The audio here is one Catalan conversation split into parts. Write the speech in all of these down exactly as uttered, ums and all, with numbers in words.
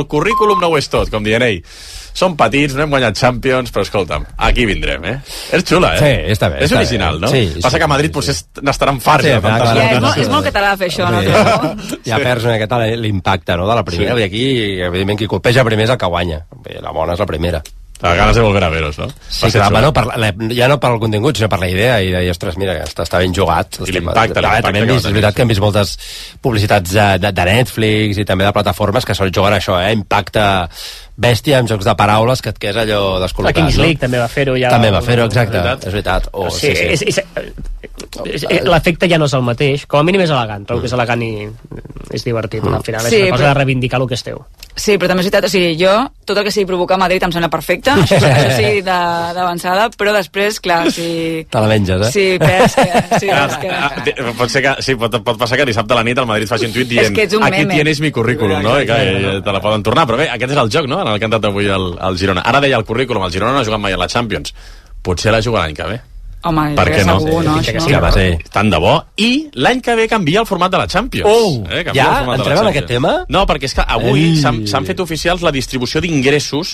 el currículum no ho és tot, com dient, ei, som petits, no hem guanyat Champions, però escolta'm, aquí vindrem, eh? És xula, eh? Sí, està bé. És està original, bé. no? Sí, Passa sí, que a Madrid sí, potser sí. n'estaran farts. Sí, de clar, tantes clar, Ja, és, vegades. molt, és molt català fer això, no? Sí. Ja perds una miqueta l'impacte, no?, de la primera. Sí. I aquí, evidentment, qui colpeja primer és el que guanya. Bé, la bona és la primera. A ganes de volver a veros, no? Sí, clar, bueno, per la, ja no per el contingut, sinó per la idea, i de dir, ostres, mira, està, està ben jugat. I l'impacte, l'impacte. També hem vist, és veritat que hem vist moltes publicitats de, de, de Netflix i també de plataformes que sols juguen això, eh? Impacte bèstia amb jocs de paraules que et quedes allò descol·locat. La Kings no? League també va fer-ho ja. També va fer-ho, exacte, és veritat. és veritat. Oh, sí, sí, sí. És, és, és, l'efecte ja no és el mateix, com a mínim és elegant, trobo que és elegant i és divertit, al final és Sí, una cosa però- de reivindicar el que és teu. Sí, però també és veritat, o sigui, jo, tot el que sigui provocar a Madrid em sembla perfecte, això, això sí, de- d'avançada, però després, clar, si... Te la menges, eh? Sí, pes que... Sí, Ah, pes que... ah, te- pot ser que, sí, pot, pot passar que dissabte a la nit el Madrid faci un tuit dient És que ets un aquí meme. tienes mi currículum, no? I que eh, te la poden tornar, però bé, aquest és el joc, no?, en el que ha entrat avui el, el Girona. Ara deia el currículum, el Girona no ha jugat mai a la Champions, potser la juga l'any que ve. Home, Per què no? segur, no? Sí, Això. sí, va ser. Tant de bo. I l'any que ve canvia el format de la Champions. Oh, eh? Canvia ja? el format de la Entrem en Champions. aquest tema? No, perquè és que avui Ei. s'han s'han fet oficials la distribució d'ingressos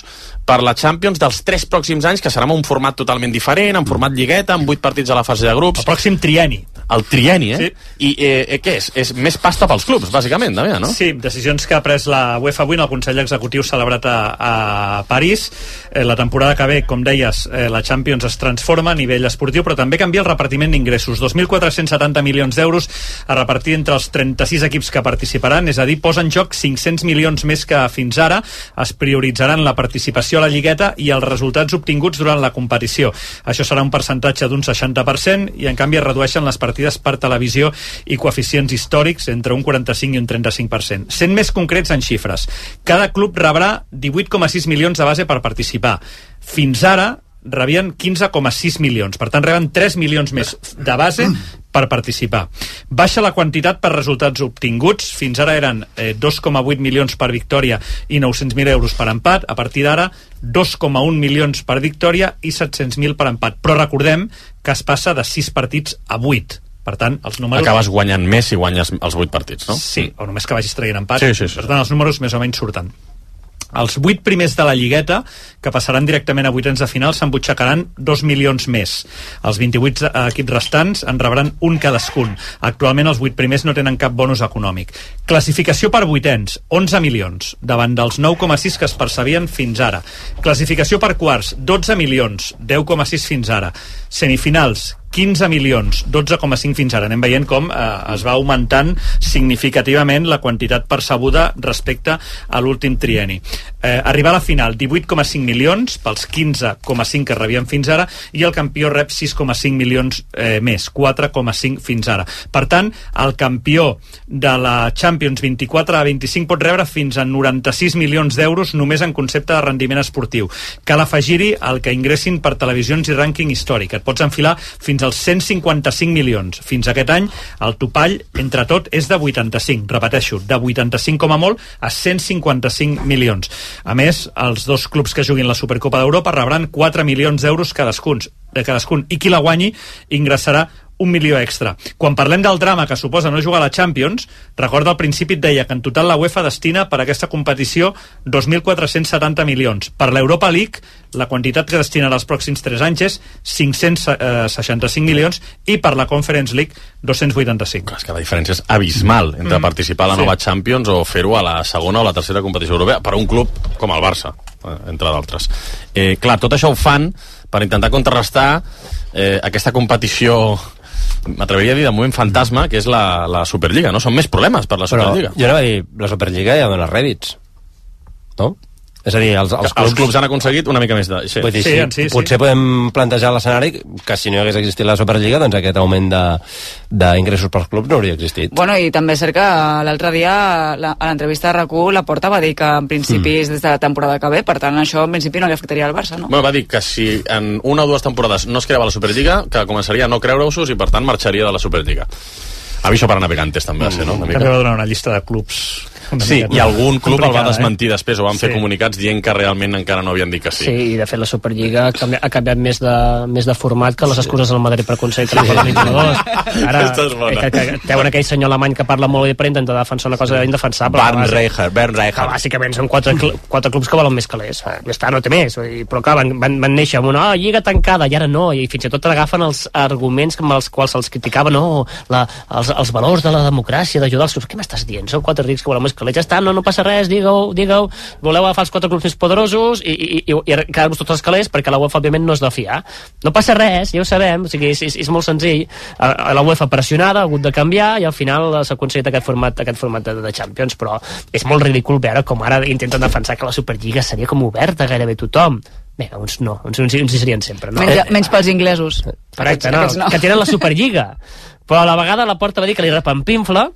per la Champions dels tres pròxims anys, que serà amb un format totalment diferent, en format lligueta, amb vuit partits a la fase de grups. El pròxim trienni. El trienni, eh? Sí. I eh, eh, què és? És més pasta pels clubs, bàsicament, també, no? Sí, decisions que ha pres la UEFA avui en el Consell Executiu celebrat a, a París. Eh, la temporada que ve, com deies, eh, la Champions es transforma a nivell esportiu, però també canvia el repartiment d'ingressos. dos mil quatre-cents setanta milions d'euros a repartir entre els trenta-sis equips que participaran, és a dir, posa en joc cinc-cents milions més que fins ara. Es prioritzaran la participació a la lligueta i els resultats obtinguts durant la competició. Això serà un percentatge d'un seixanta per cent i, en canvi, es redueixen les partides per televisió i coeficients històrics entre un quaranta-cinc i un trenta-cinc per cent. Sent més concrets en xifres, cada club rebrà divuit coma sis milions de base per participar. Fins ara rebien quinze coma sis milions, per tant reben tres milions més de base per participar. Baixa la quantitat per resultats obtinguts, fins ara eren eh, dos coma vuit milions per victòria i nou-cents mil euros per empat, a partir d'ara dos coma un milions per victòria i set-cents mil per empat, però recordem que es passa de sis partits a vuit. Per tant, els números... Acabes guanyant més si guanyes els vuit partits, no? Sí, o només que vagis traient empat. Sí, sí, sí. Per tant, els números més o menys surten. Els vuit primers de la lligueta, que passaran directament a vuitens de final, s'embutxacaran dos milions més. Els vint-i-vuit equips restants en rebran un cadascun. Actualment els vuit primers no tenen cap bonus econòmic. Classificació per vuitens, onze milions, davant dels nou coma sis que es percebien fins ara. Classificació per quarts, dotze milions, deu coma sis fins ara. Semifinals, quinze milions, dotze coma cinc fins ara. Anem veient com eh, es va augmentant significativament la quantitat percebuda respecte a l'últim trienni. Eh, arribar a la final, divuit coma cinc milions pels quinze coma cinc que rebien fins ara, i el campió rep sis coma cinc milions eh, més, quatre coma cinc fins ara. Per tant, el campió de la Champions vint-i-quatre a vint-i-cinc pot rebre fins a noranta-sis milions d'euros només en concepte de rendiment esportiu. Cal afegir-hi el que ingressin per televisions i rànquing històric. Et pots enfilar fins als cent cinquanta-cinc milions. Fins aquest any, el topall, entre tot, és de vuitanta-cinc. Repeteixo, de vuitanta-cinc com a molt a cent cinquanta-cinc milions. A més, els dos clubs que juguin la Supercopa d'Europa rebran quatre milions d'euros cadascun, de cadascun, i qui la guanyi ingressarà un milió extra. Quan parlem del drama que suposa no jugar a la Champions, recorda al principi et deia que en total la UEFA destina per a aquesta competició dos mil quatre-cents setanta milions. Per l'Europa League, la quantitat que destinarà els pròxims tres anys és cinc-cents seixanta-cinc milions i per la Conference League dos-cents vuitanta-cinc. És que la diferència és abismal entre mm. participar a la nova sí. Champions o fer-ho a la segona o la tercera competició europea per a un club com el Barça, entre d'altres. Eh, clar, tot això ho fan per intentar contrarrestar eh, aquesta competició, m'atreviria a dir de moment fantasma, que és la, la Superliga, no? Són més problemes per la Superliga. Però jo anava a dir, la Superliga ja dona rèdits, no? És a dir, els, els, clubs, els clubs han aconseguit una mica més de... Sí, vull dir, sí, sí, sí, sí. Potser podem plantejar l'escenari que si no hagués existit la Superliga, doncs aquest augment d'ingressos pels clubs no hauria existit. Bueno, i també és cert que l'altre dia la, a l'entrevista de RAC u la Porta va dir que en principi és mm. des de la temporada que ve, per tant això en principi no li afectaria al Barça, no? Bueno, va dir que si en una o dues temporades no es creava la Superliga, que començaria a no creure-us i per tant marxaria de la Superliga. Aviso para navegantes també va ser, no? Una mica. També va donar una llista de clubs Sí, i algun club el va desmentir eh? després, o van fer Sí. comunicats dient que realment encara no havien dit que sí. Sí, i de fet la Superliga ha canviat, ha canviat més, de, més de format que les excuses del Madrid per aconseguir transferir sí. jugadors. Ara, Aquesta és bona. que, que, que, aquell senyor alemany que parla molt bé per intentar defensar una cosa indefensable. Bernd Reicher, Bernd Que Reicher. bàsicament són quatre, cl quatre clubs que volen més calés. Ja està, no té més. Vull dir, però clar, van, van, van néixer amb una oh, lliga tancada, i ara no, i fins i tot agafen els arguments amb els quals se'ls criticava, no, la, els, els valors de la democràcia, d'ajudar els clubs. Què m'estàs dient? Són quatre rics que volen més calés. Ja està, no, no passa res, digue-ho, digue-ho. Voleu agafar els quatre clubs més poderosos i, i, i, i quedar-vos tots els calés perquè la UEFA, òbviament, no és de fiar. No passa res, ja ho sabem, o sigui, és, és, és molt senzill. La UEFA pressionada ha hagut de canviar i al final s'ha aconseguit aquest format, aquest format de, de Champions, però és molt ridícul veure com ara intenten defensar que la Superliga seria com oberta a gairebé tothom. Bé, uns no, uns, uns, uns hi serien sempre, no? Menys, menys pels inglesos. Correcte, no, Aquests no. que tenen la Superliga. Però a la vegada la Porta va dir que li repampinfla,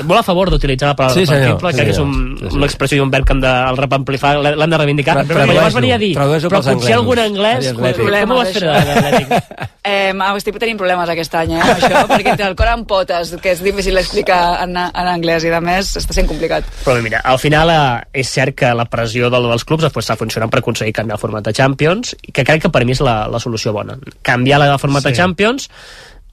molt a favor d'utilitzar la paraula sí, repampinfla, sí, crec que és un, sí, sí. una expressió i un verb que hem de, el repampinflar l'hem de reivindicar, Tra- però llavors venia a dir, tradueix-ho però pels potser algun anglès, anglesos. com, com ho vas fer a l'Atlètic? Eh, estic tenint problemes aquest any, eh, amb això, perquè entre el cor amb potes, que és difícil explicar en, en anglès, i de més està sent complicat. Però mira, al final eh, és cert que la pressió del, dels clubs pues, està funcionant per aconseguir canviar el format de Champions, que crec que per mi és la, la solució bona. Canviar la format sí. de Champions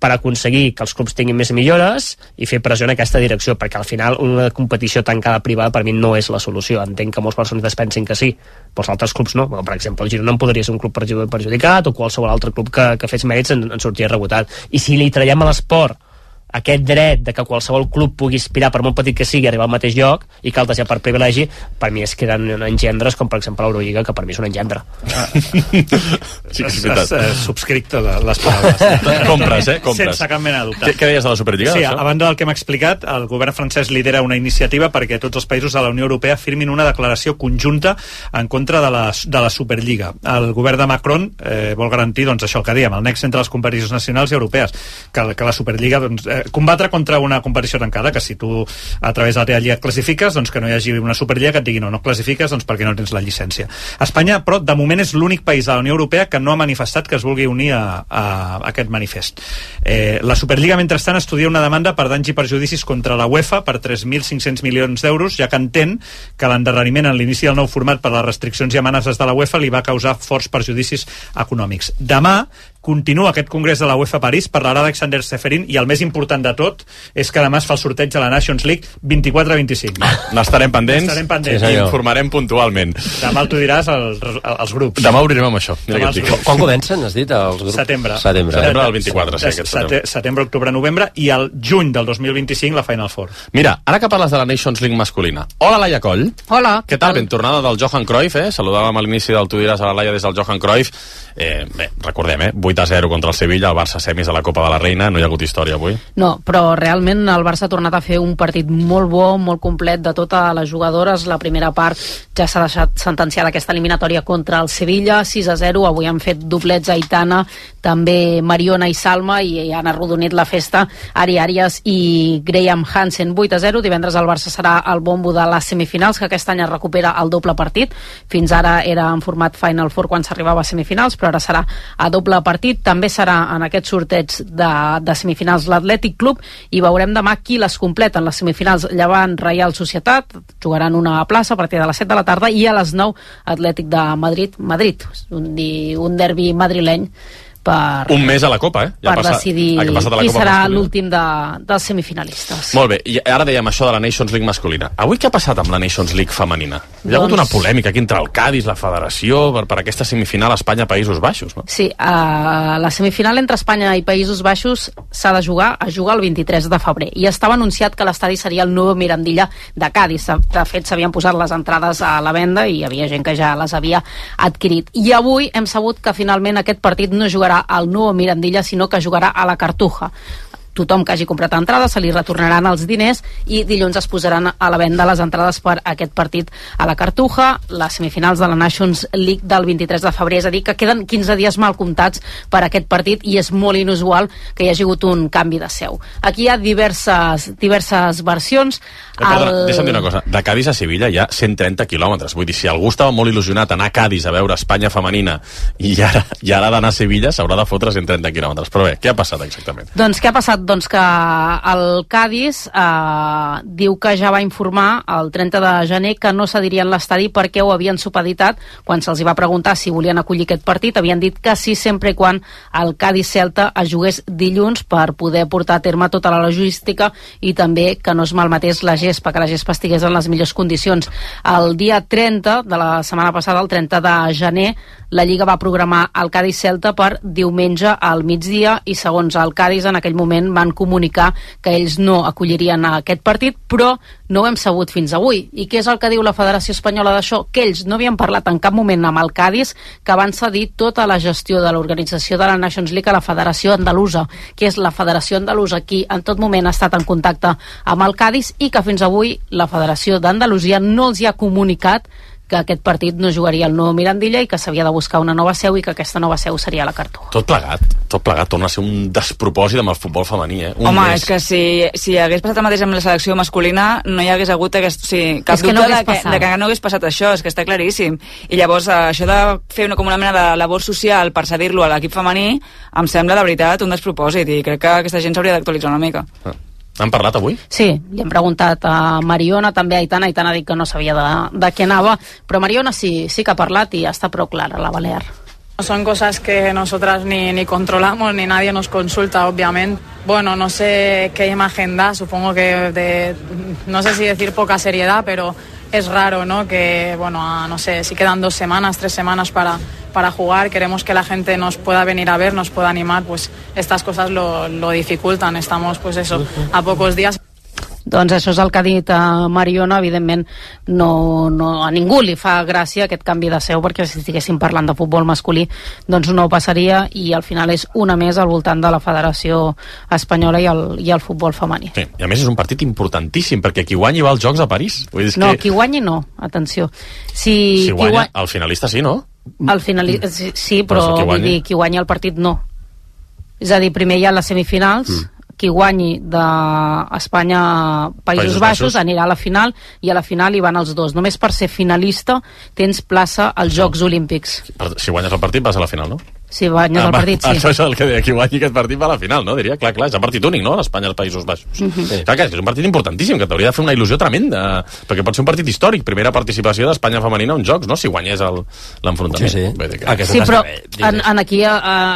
per aconseguir que els clubs tinguin més millores i fer pressió en aquesta direcció, perquè al final una competició tancada privada per mi no és la solució. Entenc que molts persones pensin que sí, però els altres clubs no. Per exemple, el Girona en podria ser un club perjudicat, o qualsevol altre club que, que fes mèrits en, en sortir rebotat. I si li traiem a l'esport aquest dret de que qualsevol club pugui aspirar, per molt petit que sigui, arribar al mateix lloc, i que altres ja per privilegi, per mi es queden engendres, com per exemple l'Eurolliga, que per mi és un engendre. Ah. sí, és veritat. Subscric totes les paraules. Compres, eh? Compres. Sense cap mena de dubte. Què, què deies de la Superliga? Sí, això? a banda del que hem explicat, el govern francès lidera una iniciativa perquè tots els països de la Unió Europea firmin una declaració conjunta en contra de la, de la Superliga. El govern de Macron eh, vol garantir, doncs, això el que dèiem, el nexe entre les competicions nacionals i europees, que, que la Superliga, doncs, eh, combatre contra una competició tancada, que si tu a través de la teva lliga et classifiques, doncs que no hi hagi una Superliga que et digui no, no classifiques doncs perquè no tens la llicència. Espanya, però, de moment és l'únic país de la Unió Europea que no ha manifestat que es vulgui unir a, a, a aquest manifest. Eh, la Superliga, mentrestant, estudia una demanda per danys i perjudicis contra la UEFA per tres mil cinc-cents milions d'euros, ja que entén que l'endarreriment en l'inici del nou format per les restriccions i amenaces de la UEFA li va causar forts perjudicis econòmics. Demà continua aquest congrés de la UEFA a París, parlarà d'Alexander Seferin, i el més important de tot és que demà es fa el sorteig de la Nations League vint-i-quatre vint-i-cinc. N'estarem pendents, N'estarem pendents. i informarem puntualment. Demà el tu diràs als, als grups. Demà obrirem amb això. Mira Demà què et dic. els grups. Quan comencen, has dit, els grups? Setembre. Setembre. Setembre del vint-i-quatre, sí, aquest setembre. Setembre, octubre, novembre, i el juny del dos mil vint-i-cinc la Final Four. Mira, ara que parles de la Nations League masculina. Hola, Laia Coll. Hola. Què tal? Ben tornada del Johan Cruyff, eh? Saludàvem a l'inici del Tu diràs a la Laia des del Johan Cruyff. Eh, bé, recordem, eh? vuit a zero contra el Sevilla, el Barça semis a la Copa de la Reina, no hi ha hagut història avui. No, però realment el Barça ha tornat a fer un partit molt bo, molt complet de totes les jugadores. La primera part ja s'ha deixat sentenciada aquesta eliminatòria contra el Sevilla, sis a zero, avui han fet doblets Aitana, també Mariona i Salma, i han arrodonit la festa Ari Arias i Graham Hansen. Vuit a zero, divendres el Barça serà el bombo de les semifinals, que aquest any es recupera el doble partit. Fins ara era en format Final Four quan s'arribava a semifinals, però ara serà a doble partit. També serà en aquest sorteig de, de semifinals l'Atlètic Club, i veurem demà qui les completen. Les semifinals Llevant Reial Societat, jugaran una plaça a partir de les set de la tarda, i a les nou Atlètic de Madrid, Madrid, un, un derbi madrileny per, un mes a la Copa, eh? Ja per passa, decidir ha passat a la qui Copa serà masculina. l'últim de, dels semifinalistes. Molt bé, i ara dèiem això de la Nations League masculina. Avui què ha passat amb la Nations League femenina? Hi ha hagut Doncs- una polèmica aquí entre el Cádiz, la federació, per, per aquesta semifinal Espanya-Països Baixos, no? Sí, uh, la semifinal entre Espanya i Països Baixos s'ha de jugar, a jugar el vint-i-tres de febrer, i estava anunciat que l'estadi seria el nou Mirandilla de Cádiz. De fet, s'havien posat les entrades a la venda i hi havia gent que ja les havia adquirit. I avui hem sabut que finalment aquest partit no jugarà al nou Mirandilla, sinó que jugarà a la Cartuja. Tothom que hagi comprat entrades se li retornaran els diners, i dilluns es posaran a la venda les entrades per aquest partit a la Cartuja, les semifinals de la Nations League del vint-i-tres de febrer, és a dir, que queden quinze dies mal comptats per aquest partit, i és molt inusual que hi hagi hagut un canvi de seu. Aquí hi ha diverses, diverses versions. Eh, perdona, el... deixa'm dir una cosa. De Cádiz a Sevilla hi ha cent trenta quilòmetres. Vull dir, si algú estava molt il·lusionat anar a Cádiz a veure Espanya femenina i ara, i ara ha d'anar a Sevilla, s'haurà de fotre cent trenta quilòmetres. Però bé, què ha passat exactament? Doncs què ha passat? comentat doncs, que el Cádiz eh, diu que ja va informar el trenta de gener que no cedirien l'estadi perquè ho havien supeditat. Quan se'ls va preguntar si volien acollir aquest partit, havien dit que sí, sempre i quan el Cádiz-Celta es jugués dilluns per poder portar a terme tota la logística i també que no es malmetés la gespa, que la gespa estigués en les millors condicions. El dia trenta de la setmana passada, el trenta de gener, la Lliga va programar el Cádiz-Celta per diumenge al migdia i segons el Cádiz en aquell moment van comunicar que ells no acollirien aquest partit, però no ho hem sabut fins avui. I què és el que diu la Federació Espanyola d'això? Que ells no havien parlat en cap moment amb el Cádiz, que van cedir tota la gestió de l'organització de la Nations League a la Federació Andalusa, que és la Federació Andalusa qui en tot moment ha estat en contacte amb el Cádiz i que fins avui la Federació d'Andalusia no els hi ha comunicat que aquest partit no jugaria el nou Mirandilla i que s'havia de buscar una nova seu i que aquesta nova seu seria la Cartó. Tot plegat, tot plegat torna a ser un despropòsit amb el futbol femení, eh? Un Home, mes. és que si, si hagués passat el mateix amb la selecció masculina no hi hagués hagut aquest, o sigui, cap És que dubte no de, hagués que, passat. de que no hagués passat això, és que està claríssim. I llavors això de fer una, com una mena de labor social per cedir-lo a l'equip femení em sembla de veritat un despropòsit i crec que aquesta gent s'hauria d'actualitzar una mica. Ah. Han parlat avui? Sí, li hem preguntat a Mariona, també a Aitana. Aitana ha dit que no sabia de, de què anava, però Mariona sí, sí que ha parlat i està prou clara, la Balear. Son cosas que nosotras ni, ni controlamos, ni nadie nos consulta, obviamente. Bueno, no sé qué imagen da, supongo que de, no sé si decir poca seriedad, pero es raro, ¿no? Que, bueno, a, no sé, si quedan dos semanas, tres semanas para, para jugar, queremos que la gente nos pueda venir a ver, nos pueda animar, pues estas cosas lo, lo dificultan. Estamos, pues eso, a pocos días. Doncs això és el que ha dit a Mariona. Evidentment no, no, a ningú li fa gràcia aquest canvi de seu, perquè si estiguéssim parlant de futbol masculí doncs no passaria i al final és una més al voltant de la Federació Espanyola i el, i el futbol femení. Sí, i a més és un partit importantíssim perquè qui guanyi va als Jocs a París. Vull dir, No, que... qui guanyi no, atenció. Si, si guanya, guany... el finalista sí, no? El finali... sí, sí, però, però si vull dir, qui guanyi el partit no. És a dir, primer hi ha les semifinals, mm. qui guanyi d'Espanya Països, Països Baixos, Baixos anirà a la final i a la final hi van els dos. Només per ser finalista tens plaça als Jocs Olímpics. Si guanyes el partit vas a la final, no? Si guanyes ah, el partit, sí. Això és el que deia, qui guanyi aquest partit va a la final, no? Diria, clar, clar, és un partit únic, no? L'Espanya als Països Baixos. Uh -huh. sí. Clar que és un partit importantíssim, que t'hauria de fer una il·lusió tremenda, perquè pot ser un partit històric, primera participació d'Espanya femenina a uns Jocs, no? Si guanyés l'enfrontament. Sí, sí. Que... sí, però en, en aquí eh,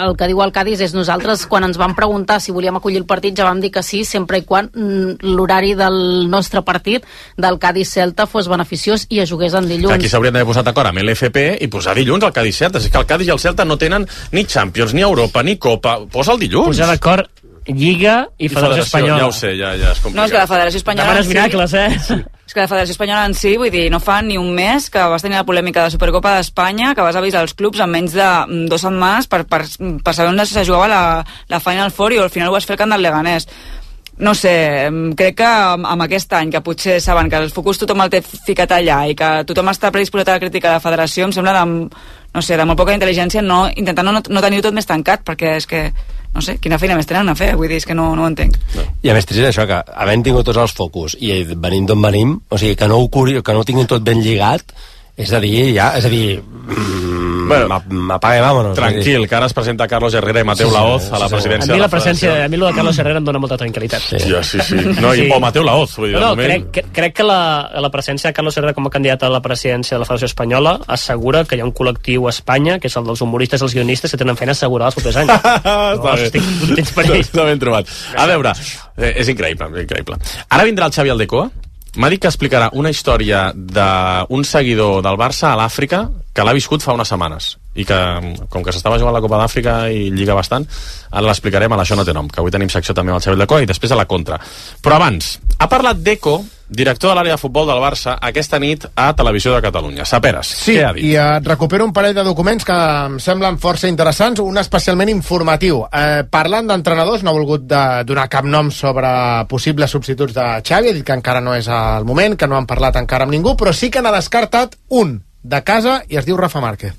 el que diu el Cádiz és nosaltres, quan ens van preguntar si volíem acollir el partit, ja vam dir que sí, sempre i quan l'horari del nostre partit, del Cádiz-Celta, fos beneficiós i es jugués en dilluns. Aquí s'haurien d'haver posat d'acord amb l'F P i posar dilluns el Cádiz-Celta. És que el Cádiz i el Celta no tenen ni Champions, ni Europa, ni Copa. Posa el dilluns. Posar d'acord Lliga i, I Federació Espanyola. Ja ho sé, ja, ja és complicat. No, és que la Federació Espanyola... Demanes miracles, eh? Sí. És que la Federació Espanyola en si, vull dir, no fa ni un mes que vas tenir la polèmica de la Supercopa d'Espanya, que vas avisar els clubs en menys de dues setmanes per, per, per saber on se jugava la, la Final Four i al final ho vas fer al camp del Leganés. No sé, crec que amb aquest any, que potser saben que el focus tothom el té ficat allà i que tothom està predisposat a la crítica de la federació, em sembla de, no sé, de molt poca intel·ligència no, intentant no, no tenir tot més tancat, perquè és que, no sé, quina feina més tenen a fer, vull dir, és que no, no ho entenc. No. I a més trist això, que havent tingut tots els focus i venim d'on venim, o sigui, que no ho, curi, que no ho tinguin tot ben lligat, és a dir, ja, és a dir... Mm, bueno, m'apaga i vámonos. Tranquil, que ara es presenta Carlos Herrera i Mateu sí, Laoz a la sí, presidència. A mi la presència, a mi lo de Carlos Herrera em dona molta tranquil·litat. Sí, ja, sí, sí. No, i, sí. O Mateu Laoz, vull dir, no, no, moment... crec, crec que la, la presència de Carlos Herrera com a candidat a la presidència de la Federació Espanyola assegura que hi ha un col·lectiu a Espanya, que és el dels humoristes i els guionistes, que tenen feina assegurada els propers anys. No, estic contents per ells. Està ben trobat. A veure, eh, és increïble, és increïble. Ara vindrà el Xavi Aldecoa. M'ha dit que explicarà una història d'un seguidor del Barça a l'Àfrica que l'ha viscut fa unes setmanes i que, com que s'estava jugant la Copa d'Àfrica i lliga bastant, ara l'explicarem a l'Això no té nom, que avui tenim secció també amb el Xavi Aldecoa i després a la contra. Però abans, ha parlat Deco, director de l'àrea de futbol del Barça, aquesta nit a Televisió de Catalunya. Saperes, sí, què ha dit? I et recupero un parell de documents que em semblen força interessants, un especialment informatiu. Eh, parlant d'entrenadors, no ha volgut de donar cap nom sobre possibles substituts de Xavi, ha dit que encara no és el moment, que no han parlat encara amb ningú, però sí que n'ha descartat un de casa i es diu Rafa Márquez.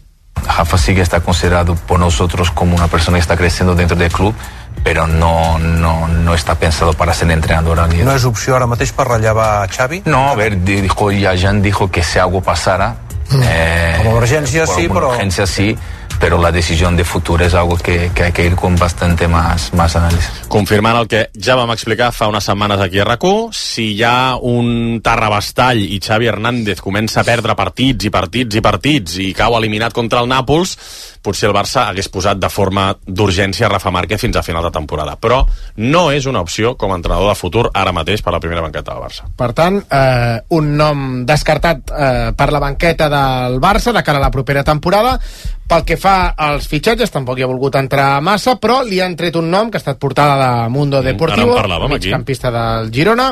Rafa sí que está considerado por nosotros como una persona que está creciendo dentro del club, pero no, no, no está pensado para ser entrenador. No és opció ara mateix per rellevar Xavi? No, a ver, dijo, ya Jan dijo que si algo pasara, mm. eh, com a urgència sí, però... urgència sí, pero la decisión de futuro es algo que, que hay que ir con bastante más, más análisis. Confirmant el que ja vam explicar fa unes setmanes aquí a R A C U, si hi ha un Tarrabastall i Xavi Hernández comença a perdre partits i partits i partits i cau eliminat contra el Nàpols, potser el Barça hagués posat de forma d'urgència Rafa Márquez fins a final de temporada. Però no és una opció com a entrenador de futur ara mateix per la primera banqueta del Barça. Per tant, eh, un nom descartat eh, per la banqueta del Barça de cara a la propera temporada. Pel que fa als fitxatges, tampoc hi ha volgut entrar massa, però li han tret un nom que ha estat portada de Mundo Deportivo, migcampista del Girona.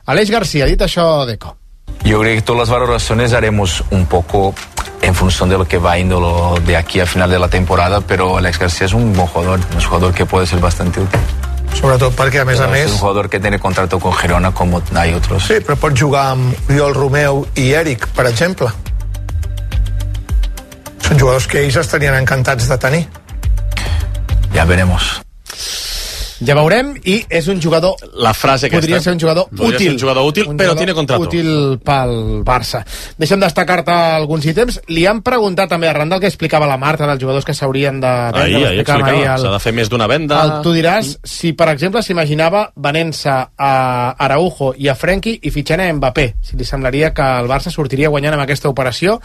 Aleix García, dit això, Deco. Yo creo que todas las valoraciones haremos un poco en función de lo que va yendo lo de aquí a final de la temporada, pero Alex García es un buen jugador, es un jugador que puede ser bastante útil. Sobretot perquè, a més a més... Es un jugador que tiene contrato con Girona como hay otros. Sí, però pot jugar amb Oriol Romeu i Eric, per exemple. Són jugadors que ells estarien encantats de tenir. Ja veremos. Ja veurem, i és un jugador... La frase aquesta. Podria ser un jugador Podria útil. Ser un jugador útil, un però jugador tiene contrato. Útil pel Barça. Deixa'm destacar-te alguns ítems. Li han preguntat també, arran del que explicava la Marta, dels jugadors que s'haurien de vendre. Ahir, ahir explicava, el... s'ha de fer més d'una venda. El, tu diràs, si per exemple s'imaginava venent-se a Araujo i a Frenkie i fitxant a Mbappé, si li semblaria que el Barça sortiria guanyant amb aquesta operació,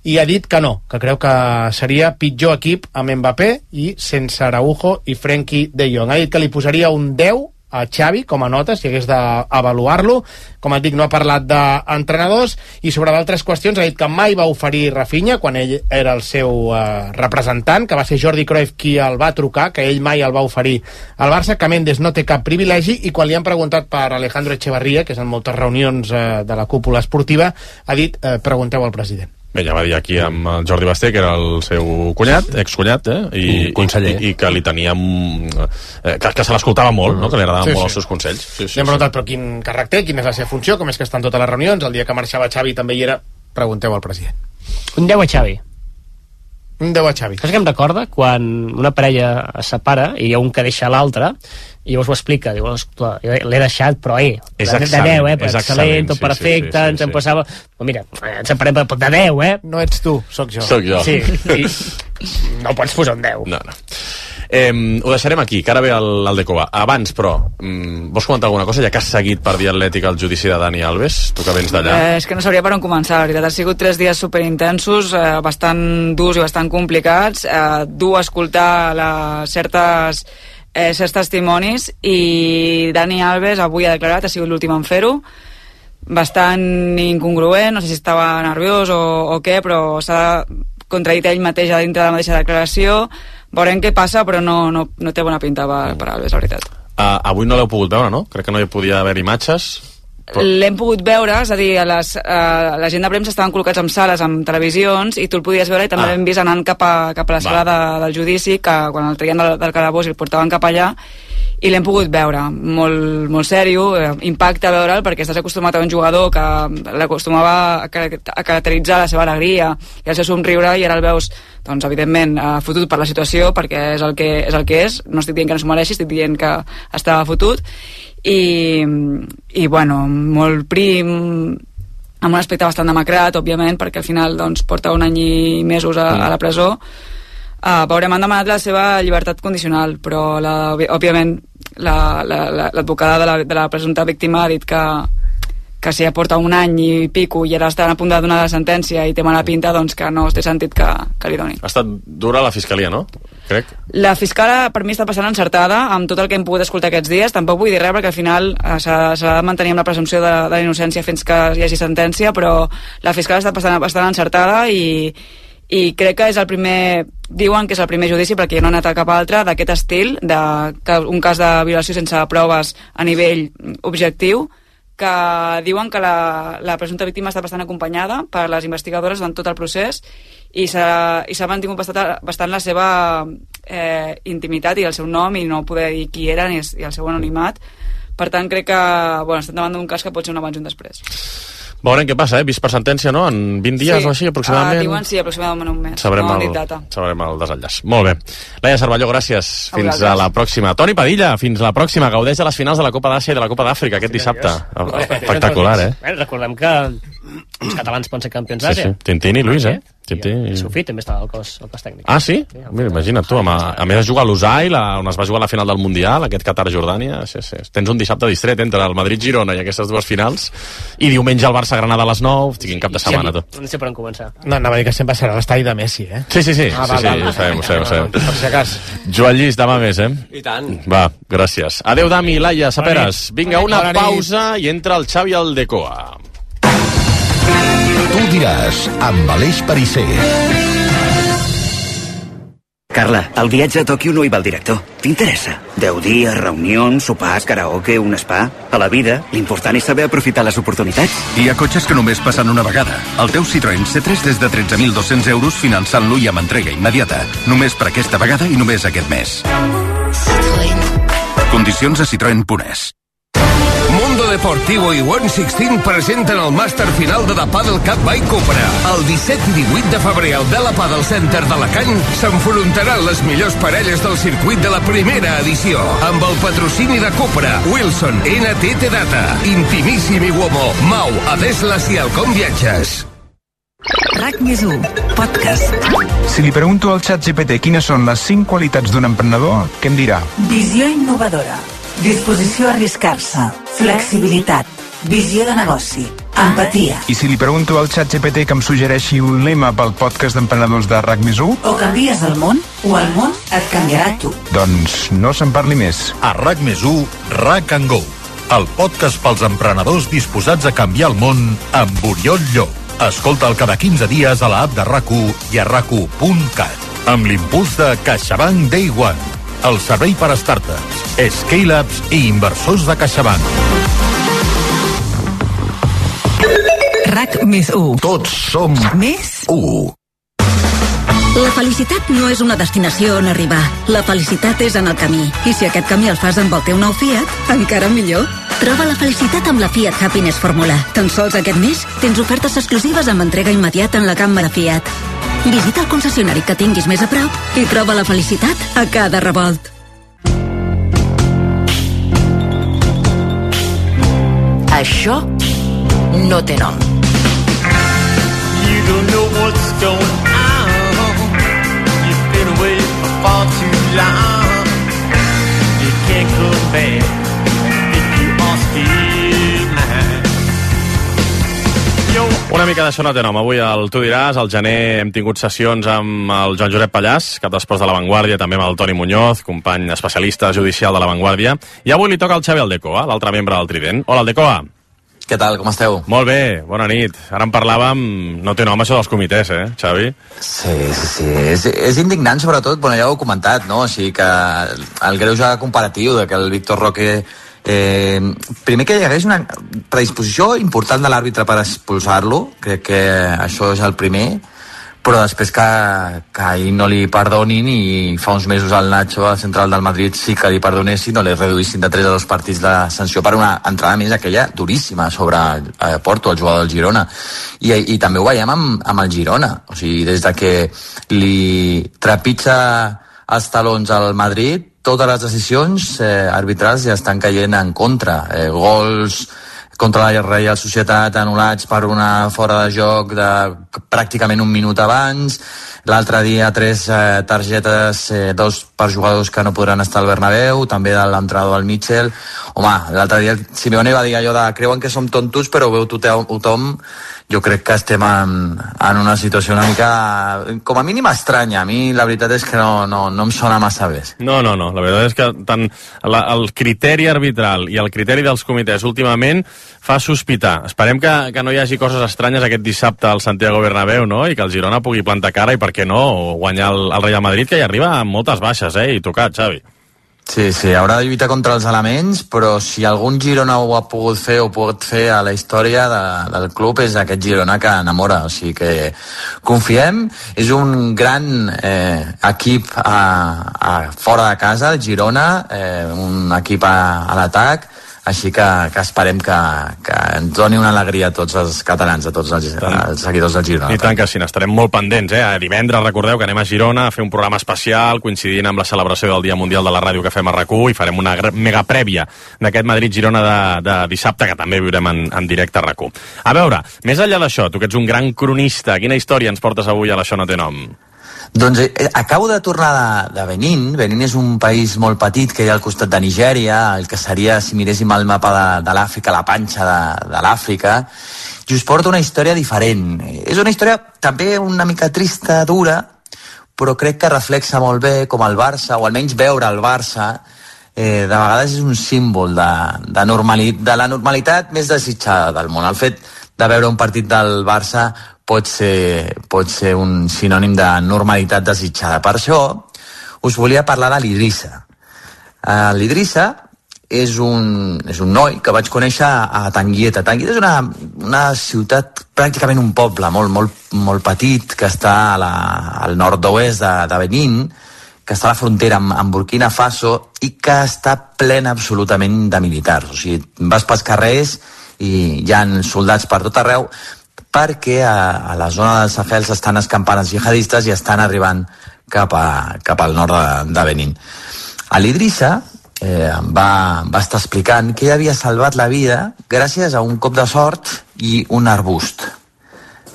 i ha dit que no, que creu que seria pitjor equip amb Mbappé i sense Araujo i Frenkie de Jong. Ha dit que li posaria un deu a Xavi com a nota, si hagués d'avaluar-lo. Com et dic, no ha parlat d'entrenadors, i sobre d'altres qüestions ha dit que mai va oferir Rafinha quan ell era el seu eh, representant, que va ser Jordi Cruyff qui el va trucar, que ell mai el va oferir al Barça, que Mendes no té cap privilegi, i quan li han preguntat per Alejandro Echevarría, que és en moltes reunions eh, de la cúpula esportiva, ha dit, eh, pregunteu al president. Bé, ja va dir aquí amb el Jordi Basté, que era el seu cunyat, excunyat, eh? I, I conseller. I, i que li tenia... Eh, que, que se l'escoltava molt, no? Que li agradaven sí, molt sí. els seus consells. Sí, sí, li hem preguntat, sí. Però quin càrrec té, quina és la seva funció, com és que estan totes les reunions, el dia que marxava Xavi també hi era, pregunteu al president. Un deu a Xavi. Un deu a Xavi. Saps què em recorda? Quan una parella es separa i hi ha un que deixa l'altre, i llavors ho explica, diu, l'he deixat, però eh, de deu, eh, excel·lent, tot perfecte, sí, sí, sí, ens sí. en passava... Però mira, ens separem de deu, eh? No ets tu, sóc jo. Sóc jo. Sí, i no pots posar un deu. No, no. Eh, ho deixarem aquí, que ara ve el, el Decova. Abans, però, mm, vols comentar alguna cosa, ja que has seguit per Via Atlètica el judici de Dani Alves, tu que vens d'allà? Eh, és que no sabria per on començar, la veritat. Ha sigut tres dies superintensos, eh, bastant durs i bastant complicats, eh, dur a escoltar les certes, eh, certs testimonis, i Dani Alves avui ha declarat, ha sigut l'últim en fer-ho, bastant incongruent, no sé si estava nerviós o, o què, però s'ha contradit ell mateix a dintre de la mateixa declaració. Veurem què passa, però no, no, no té bona pinta per, per Alves, la veritat. Uh, avui no l'heu pogut veure, no? Crec que no hi podia haver imatges. Però... L'hem pogut veure, és a dir, a les, a la gent de premsa estaven col·locats en sales, amb televisions, i tu el podies veure, i també ah. l'hem vist anant cap a, cap a la sala de, del judici, que quan el traien del, del calabós i el portaven cap allà, i l'hem pogut veure, molt, molt sèrio, eh, impacta veure'l, perquè estàs acostumat a un jugador que l'acostumava a, a caracteritzar la seva alegria i el seu somriure, i ara el veus, doncs, evidentment, eh, fotut per la situació, perquè és el que és, el que és. No estic dient que no s'ho mereixi, estic dient que estava fotut, i, i bueno, molt prim, amb un aspecte bastant demacrat, òbviament, perquè al final doncs, porta un any i mesos a, a la presó. Uh, veurem, han demanat la seva llibertat condicional, però la, òbviament l'advocada la, la, de, la, de la presumpta víctima ha dit que, que si ja porta un any i pico i ara estan a punt de donar la sentència i té mala pinta, doncs que no té sentit que, que li doni. Ha estat dura la fiscalia, no? Crec. La fiscala per mi està passant encertada amb tot el que hem pogut escoltar aquests dies. Tampoc vull dir res perquè al final uh, s'ha de mantenir amb la presumpció de, de la innocència fins que hi hagi sentència, però la fiscala està passant bastant encertada i i crec que és el primer, diuen que és el primer judici perquè no ha anat a cap altre d'aquest estil, de, que un cas de violació sense proves a nivell objectiu, que diuen que la, la presumpta víctima està bastant acompanyada per les investigadores durant tot el procés i s'ha mantingut bastant, bastant la seva eh, intimitat i el seu nom i no poder dir qui eren i, i el seu anonimat. Per tant, crec que bueno, estem davant d'un cas que pot ser un abans i un després. Veurem què passa, eh? Vist per sentència, no? En vint dies sí. o així, aproximadament? Uh, diuen sí, aproximadament un mes. Sabrem, no, el, sabrem el desenllaç. Molt bé. Laia Cervelló, gràcies. A fins a la pròxima. Toni Padilla, fins a la pròxima. Gaudeix de les finals de la Copa d'Àsia i de la Copa d'Àfrica aquest dissabte. Espectacular, eh? Recordem que els catalans poden ser campions d'Àsia. Sí, sí. Tintín i Luis, eh? Sí, sí. I Sofí també estava al cos, al cos tècnic. Ah, sí? sí Mira, imagina't tu, a, a més es juga a l'Usail, on es va jugar la final del Mundial, aquest Qatar-Jordània. Sí, sí. Tens un dissabte distret entre el Madrid-Girona i aquestes dues finals, i diumenge el Barça-Granada a les nou, quin cap de setmana, tu. No sé per on començar. No, anava a dir que sempre serà l'estadi de Messi, eh? Sí, sí, sí, ah, sí, val, sí, val, ho sabem, ho sabem, ho sabem. Per si acas. Joan Llis, demà més, eh? I tant. Va, gràcies. Adéu, Dami, Laia, Saperes. Vinga, una pausa i entra el Xavi Aldecoa. Tu diràs, amb Aleix Perisser. Carla, el viatge a Tòquio no hi va el director. T'interessa? Deu dies, reunions, sopars, karaoke, un spa... A la vida, l'important és saber aprofitar les oportunitats. Hi ha cotxes que només passen una vegada. El teu Citroën C tres des de tretze mil dos-cents euros finançant-lo i amb entrega immediata. Només per aquesta vegada i només aquest mes. Citroën. Condicions a citroen punt es. Mundo Deportivo i One Sixteen presenten el màster final de The Padel Cup by Cupra. El disset i divuit de febrer al Dela Padel Center d'Alacant s'enfrontaran les millors parelles del circuit de la primera edició. Amb el patrocini de Cupra, Wilson, N T T Data, Intimissimi Uomo, Mau, Adeslas i Alcom Viatges. RAC més u, podcast. Si li pregunto al xat G P T quines són les cinc qualitats d'un emprenedor, què em dirà? Visió innovadora, disposició a arriscar-se, flexibilitat, visió de negoci, empatia. I si li pregunto al xat G P T que em suggereixi un lema pel podcast d'emprenedors de RAC més u? O canvies el món, o el món et canviarà tu. Doncs no se'n parli més. A RAC més u, RAC and Go, el podcast pels emprenedors disposats a canviar el món amb Oriol Llop. Escolta'l cada quinze dies a l'app de RAC u i a rac u punt cat. Amb l'impuls de CaixaBank Day One, el servei per a startups, scale-ups i inversors de CaixaBank. RAC més u. Tots som més u. La felicitat no és una destinació on arribar. La felicitat és en el camí. I si aquest camí el fas amb el teu nou Fiat, encara millor. Troba la felicitat amb la Fiat Happiness Fórmula. Tan sols aquest mes tens ofertes exclusives amb entrega immediata en la càmera Fiat. Visita el concessionari que tinguis més a prop i troba la felicitat a cada revolt. Això no té nom. You don't know what's going on. You've been away for far too long. You can't come back if you are still mine. Una mica d'això no té nom. Avui al Tu diràs, al gener hem tingut sessions amb el Joan Josep Pallàs, cap d'esports de La Vanguardia, també amb el Toni Muñoz, company especialista judicial de La Vanguardia, i avui li toca al Xavi Aldecoa, l'altre membre del Trident. Hola, Aldecoa. Què tal, com esteu? Molt bé, bona nit. Ara en parlàvem, no té nom això dels comitès, eh, Xavi? Sí, sí, sí. És, és indignant, sobretot, bueno, ja ho he comentat, no? O sigui que el greuge comparatiu de que el Víctor Roque... Eh, primer que hi hagués una predisposició important de l'àrbitre per expulsar-lo, crec que això és el primer, però després que, que ahir no li perdonin i fa uns mesos al Nacho, al central del Madrid, sí que li perdonessin, no li reduïssin de tres a dos partits de sanció per una entrada més aquella duríssima sobre eh, Porto, el jugador del Girona. I, i també ho veiem amb, amb el Girona, o sigui, des de que li trepitja els talons al Madrid, totes les decisions eh, arbitrals ja estan caient en contra. Eh, gols contra la Reial Societat anul·lats per una fora de joc de pràcticament un minut abans. L'altre dia tres eh, targetes, eh, dos per jugadors que no podran estar al Bernabéu, també de l'entrenador del Mitchell. Home, l'altre dia Simeone va dir allò de creuen que som tontos però veu tothom, tothom. Jo crec que estem en, en una situació una mica, com a mínim, estranya. A mi la veritat és que no, no, no em sona massa bé. No, no, no. La veritat és que tant la, el criteri arbitral i el criteri dels comitès últimament fa sospitar. Esperem que, que no hi hagi coses estranyes aquest dissabte al Santiago Bernabéu, no? I que el Girona pugui plantar cara i, per què no, guanyar el, el Real Madrid, que hi arriba amb moltes baixes, eh? I tocat, Xavi. Sí, sí, haurà de lluitar contra els elements, però si algun Girona ho ha pogut fer o pot fer a la història de, del club és aquest Girona que enamora, o sigui que confiem, és un gran eh, equip a, a fora de casa, Girona, eh, un equip a, a l'atac, així que, que esperem que, que ens doni una alegria a tots els catalans, a tots els, els seguidors del Girona. I tant que sí, n'estarem molt pendents, eh? Divendres, recordeu que anem a Girona a fer un programa especial coincidint amb la celebració del Dia Mundial de la Ràdio que fem a RAC u i farem una mega prèvia d'aquest Madrid-Girona de, de dissabte, que també viurem en, en directe a RAC u. A veure, més enllà d'això, tu que ets un gran cronista, quina història ens portes avui a l'Això no té nom? Doncs eh, acabo de tornar de, de Benín. Benín és un país molt petit que hi ha al costat de Nigèria, el que seria, si miréssim el mapa de, de l'Àfrica, la panxa de, de l'Àfrica, i us porto una història diferent. És una història també una mica trista, dura, però crec que reflexa molt bé com el Barça, o almenys veure el Barça, eh, de vegades és un símbol de, de, normali, de la normalitat més desitjada del món. El fet de veure un partit del Barça pot ser, pot ser un sinònim de normalitat desitjada. Per això us volia parlar de l'Idrissa. Uh, L'Idrissa és un, és un noi que vaig conèixer a Tanguieta. Tanguieta és una, una ciutat, pràcticament un poble molt, molt, molt petit, que està a la, al nord-oest de, de Benín, que està a la frontera amb, amb Burkina Faso i que està plena absolutament de militars. O sigui, vas pels carrers i hi ha soldats per tot arreu, perquè a, a la zona dels Sahels estan escampant els jihadistes i estan arribant cap, a, cap al nord de, de Benín. A l'Idrissa eh, va, va estar explicant que ell havia salvat la vida gràcies a un cop de sort i un arbust,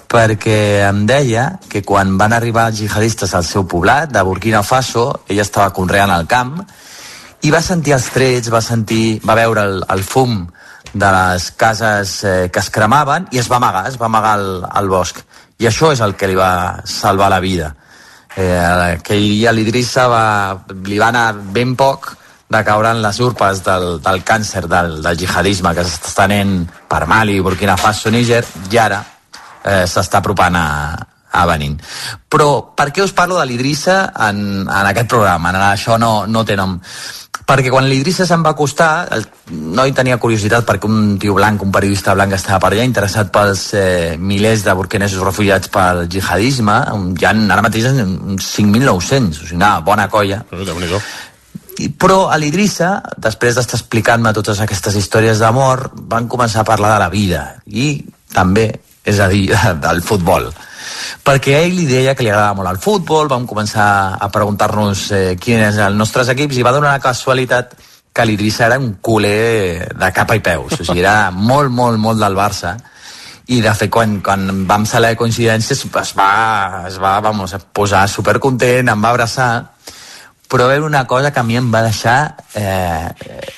perquè em deia que quan van arribar els jihadistes al seu poblat de Burkina Faso, ell estava conreant al camp i va sentir els trets, va sentir, va veure el, el fum de les cases eh, que es cremaven i es va amagar, es va amagar al, al bosc. I això és el que li va salvar la vida. Eh, aquell dia l'Idrissa va, li va anar ben poc de caure en les urpes del, del càncer del, del jihadisme que s'està estenent per Mali, Burkina Faso, Níger, i ara eh, s'està apropant a, a Benín. Però per què us parlo de l'Idrissa en, en aquest programa? En Això no, no té nom. Perquè quan l'Idrissa se'n va acostar, el noi tenia curiositat perquè un tio blanc, un periodista blanc estava per allà, interessat pels eh, milers de burkinesos refugiats pel jihadisme. Hi ha ara mateix uns cinc mil nou-cents, o sigui, una bona colla. Però a l'Idrissa, després d'estar explicant-me totes aquestes històries d'amor, van començar a parlar de la vida i també, és a dir, del futbol. Perquè a ell li deia que li agradava molt el futbol, vam començar a preguntar-nos eh, quin és els nostres equips i va donar la casualitat que l'Idrissa era un culer de capa i peus, o sigui, era molt, molt, molt del Barça i de fet quan, quan vam saber coincidències es va, es va vamos, posar supercontent, em va abraçar, però va haver una cosa que a mi em va deixar eh,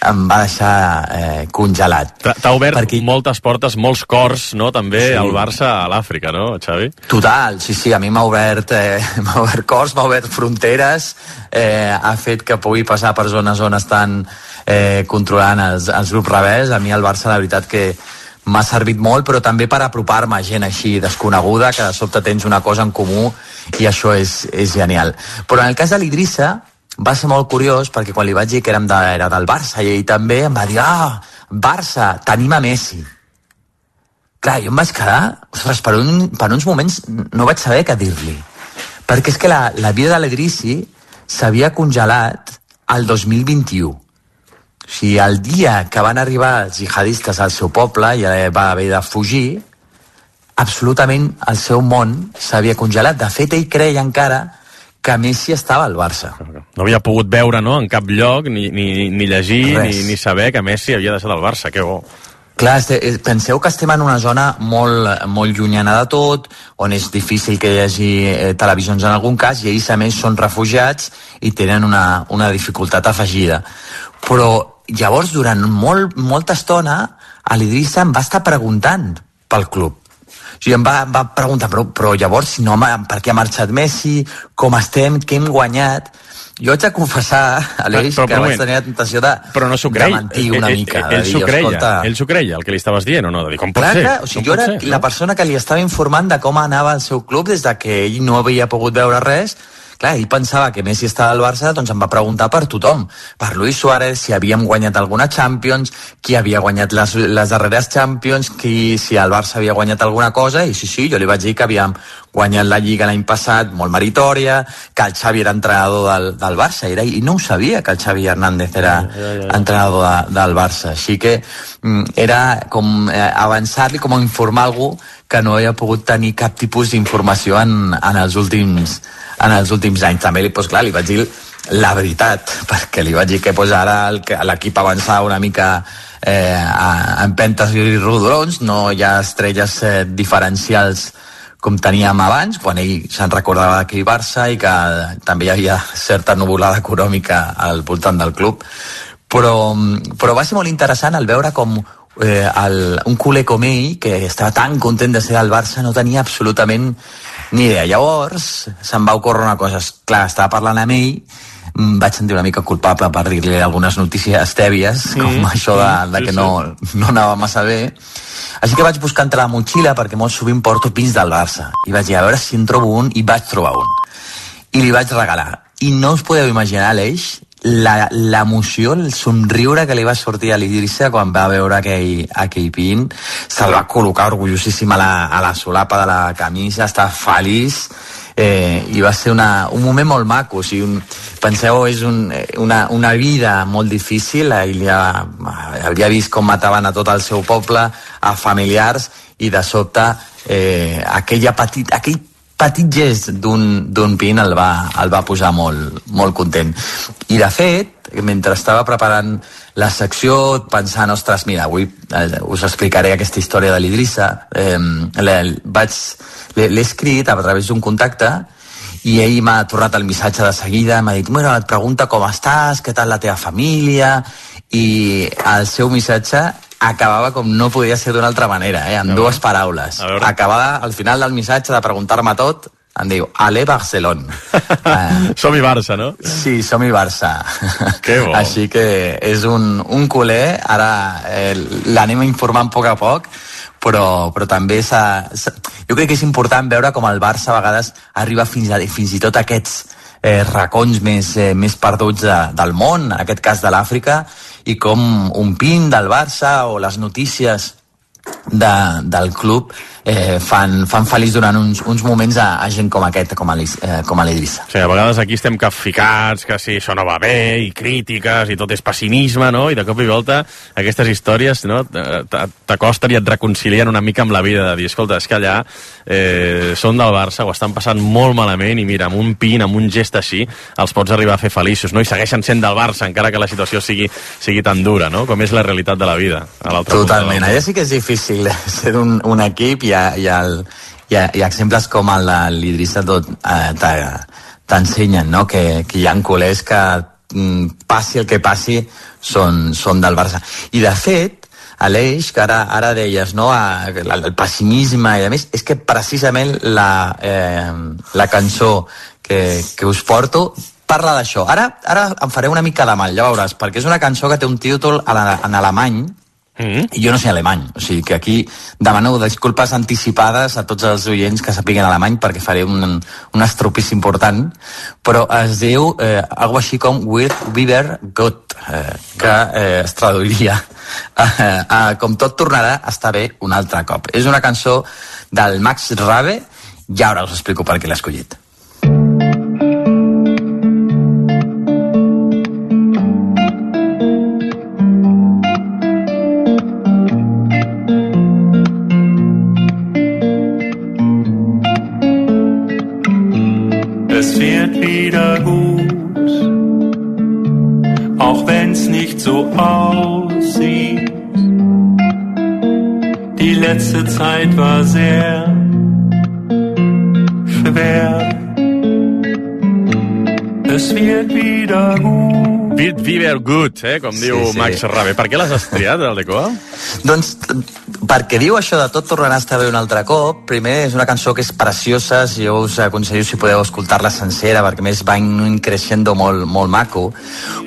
em va deixar eh, congelat. T'ha obert Perquè... moltes portes, molts cors, no?, també sí. Al Barça a l'Àfrica, no, Xavi? Total, sí, sí, a mi m'ha obert, eh, m'ha obert cors, m'ha obert fronteres, eh, ha fet que pugui passar per zones on estan eh, controlant els, els grups rebels. A mi el Barça, la veritat que m'ha servit molt, però també per apropar-me a gent així desconeguda, que de sobte tens una cosa en comú i això és, és genial. Però en el cas de l'Idrissa va ser molt curiós perquè quan li vaig dir que érem de, era del Barça i ell també em va dir, ah, Barça, tenim a Messi. Clar, jo em vaig quedar, ostres, per, un, per uns moments no vaig saber què dir-li, perquè és que la, la vida de l'Idrissi s'havia congelat al dos mil vint-i-u. O sigui, el dia que van arribar els jihadistes al seu poble i va haver de fugir, absolutament el seu món s'havia congelat. De fet, ell creia encara que Messi estava al Barça. No havia pogut veure, no?, en cap lloc, ni, ni, ni llegir, ni, ni saber que Messi havia deixat el Barça. Que bo. Clar, penseu que estem en una zona molt, molt llunyana de tot, on és difícil que hi hagi eh, televisions en algun cas, i ells a més són refugiats i tenen una, una dificultat afegida. Però llavors, durant molt, molta estona, a l'Idrissa em va estar preguntant pel club. O sigui, em va, em va preguntar, però, però llavors, si no, per què ha marxat Messi, com estem, què hem guanyat? Jo haig de confessar, Aleix, però, però, que vaig tenir la tentació de, però no de mentir una ell, mica. Ell, ell s'ho creia, escolta... ell s'ho creia, el que li estaves dient, o no? De dir, com pot clar, ser? Clar, o sigui, jo era ser, la no? persona que li estava informant de com anava el seu club des de que ell no havia pogut veure res, clar, ell pensava que Messi estava al Barça, doncs em va preguntar per tothom, per Luis Suárez, si havíem guanyat alguna Champions, qui havia guanyat les, les darreres Champions, qui, si el Barça havia guanyat alguna cosa, i sí, sí, jo li vaig dir que havíem guanyat la Lliga l'any passat, molt meritòria, que el Xavi era entrenador del, del Barça, era, i no ho sabia que el Xavi Hernández era ja, ja, ja. entrenador de, del Barça, així que era com eh, avançar-li, com informar algú que no havia pogut tenir cap tipus d'informació en, en, els últims, en els últims anys. També, doncs, clar, li vaig dir la veritat, perquè li vaig dir que pues, ara l'equip avançava una mica eh, a empentes i rodolons, no hi ha estrelles eh, diferencials com teníem abans, quan ell se'n recordava d'aquell Barça i que també hi havia certa nuvolada econòmica al voltant del club. Però, però va ser molt interessant el veure com eh, el, un culer com ell, que estava tan content de ser del Barça, no tenia absolutament ni idea. Llavors se'm va ocórrer una cosa, clar, estava parlant amb ell, em vaig sentir una mica culpable per dir-li algunes notícies tèbies, mm, com això de, de sí, que no, no anava massa bé. Així que vaig buscar entre la motxilla, perquè molt sovint porto pins del Barça, i vaig dir, a veure si en trobo un, i vaig trobar un. I li vaig regalar. I no us podeu imaginar, Aleix, l'emoció, el somriure que li va sortir a l'Idrissa quan va veure aquell, aquell pin. Se'l va col·locar orgullosíssim a la, a la solapa de la camisa, estava feliç, eh, i va ser una, un moment molt maco. O sigui, un, penseu, és un, una, una vida molt difícil. Ell ja havia vist com mataven a tot el seu poble, a familiars, i de sobte eh, aquella petit, aquell petit gest d'un pin el va, el va posar molt, molt content. I de fet, mentre estava preparant la secció, pensant, ostres, mira, avui eh, us explicaré aquesta història de l'Idrissa, eh, l'he escrit a través d'un contacte, i ell m'ha tornat el missatge de seguida, m'ha dit, bueno, et pregunta com estàs, què tal la teva família, i el seu missatge acabava com no podia ser d'una altra manera, eh? amb dues paraules. Acabava al final del missatge de preguntar-me tot, em diu, ale Barcelona. uh, Som-hi Barça, no? Sí, som-hi Barça. Que bo. Així que és un, un culer, ara eh, l'anem informant a poc a poc, però, però també s'ha... Jo crec que és important veure com el Barça a vegades arriba fins, a, fins i tot a aquests eh, racons més, eh, més perduts de, del món, en aquest cas de l'Àfrica, i com un pin del Barça o les notícies de, del club eh, fan, fan feliç durant uns, uns moments a, a gent com aquest, com a l'Idrissa. Sí, a vegades aquí estem capficats, que si això no va bé, i crítiques, i tot és pessimisme, no? I de cop i volta aquestes històries, no? T'acosten i et reconcilien una mica amb la vida, de dir, escolta, és que allà eh, són del Barça, ho estan passant molt malament, i mira, amb un pin, amb un gest així, els pots arribar a fer feliços, no? I segueixen sent del Barça, encara que la situació sigui, sigui tan dura, no? Com és la realitat de la vida. A Totalment, allà sí que és difícil ser un, un equip, i hi ha, hi, ha el, hi, ha, hi ha exemples com el de l'Idrissa tot eh, t'ensenyen, no? que, que hi ha culers que mm, passi el que passi són, són del Barça. I de fet, Aleix, que ara, ara deies, no? A, el pessimisme i a més, és que precisament la, eh, la cançó que, que us porto parla d'això. Ara, ara em faré una mica de mal, ja veuràs, perquè és una cançó que té un títol en alemany. Mm-hmm. I jo no sé alemany, o sigui que aquí demano disculpes anticipades a tots els oients que sapiguen alemany, perquè faré un, un estropís important, però es diu eh, algo així com With Weber Gott, eh, que eh, es traduiria eh, eh, com tot tornarà a estar bé un altre cop. És una cançó del Max Rabe, i ara us explico per què l'he escollit. Es wird wieder gut, auch wenn's nicht so aussieht. Die letzte Zeit war sehr schwer. Es wird wieder gut. Wird wieder gut, eh? Com diu sí, sí. Max Rabe. Per què l'has estriat, el Decoa? Doncs perquè diu això de tot tornarà a estar bé un altre cop. Primer, és una cançó que és preciosa, si jo us aconsello si podeu escoltar-la sencera, perquè més va in creixendo molt, molt maco,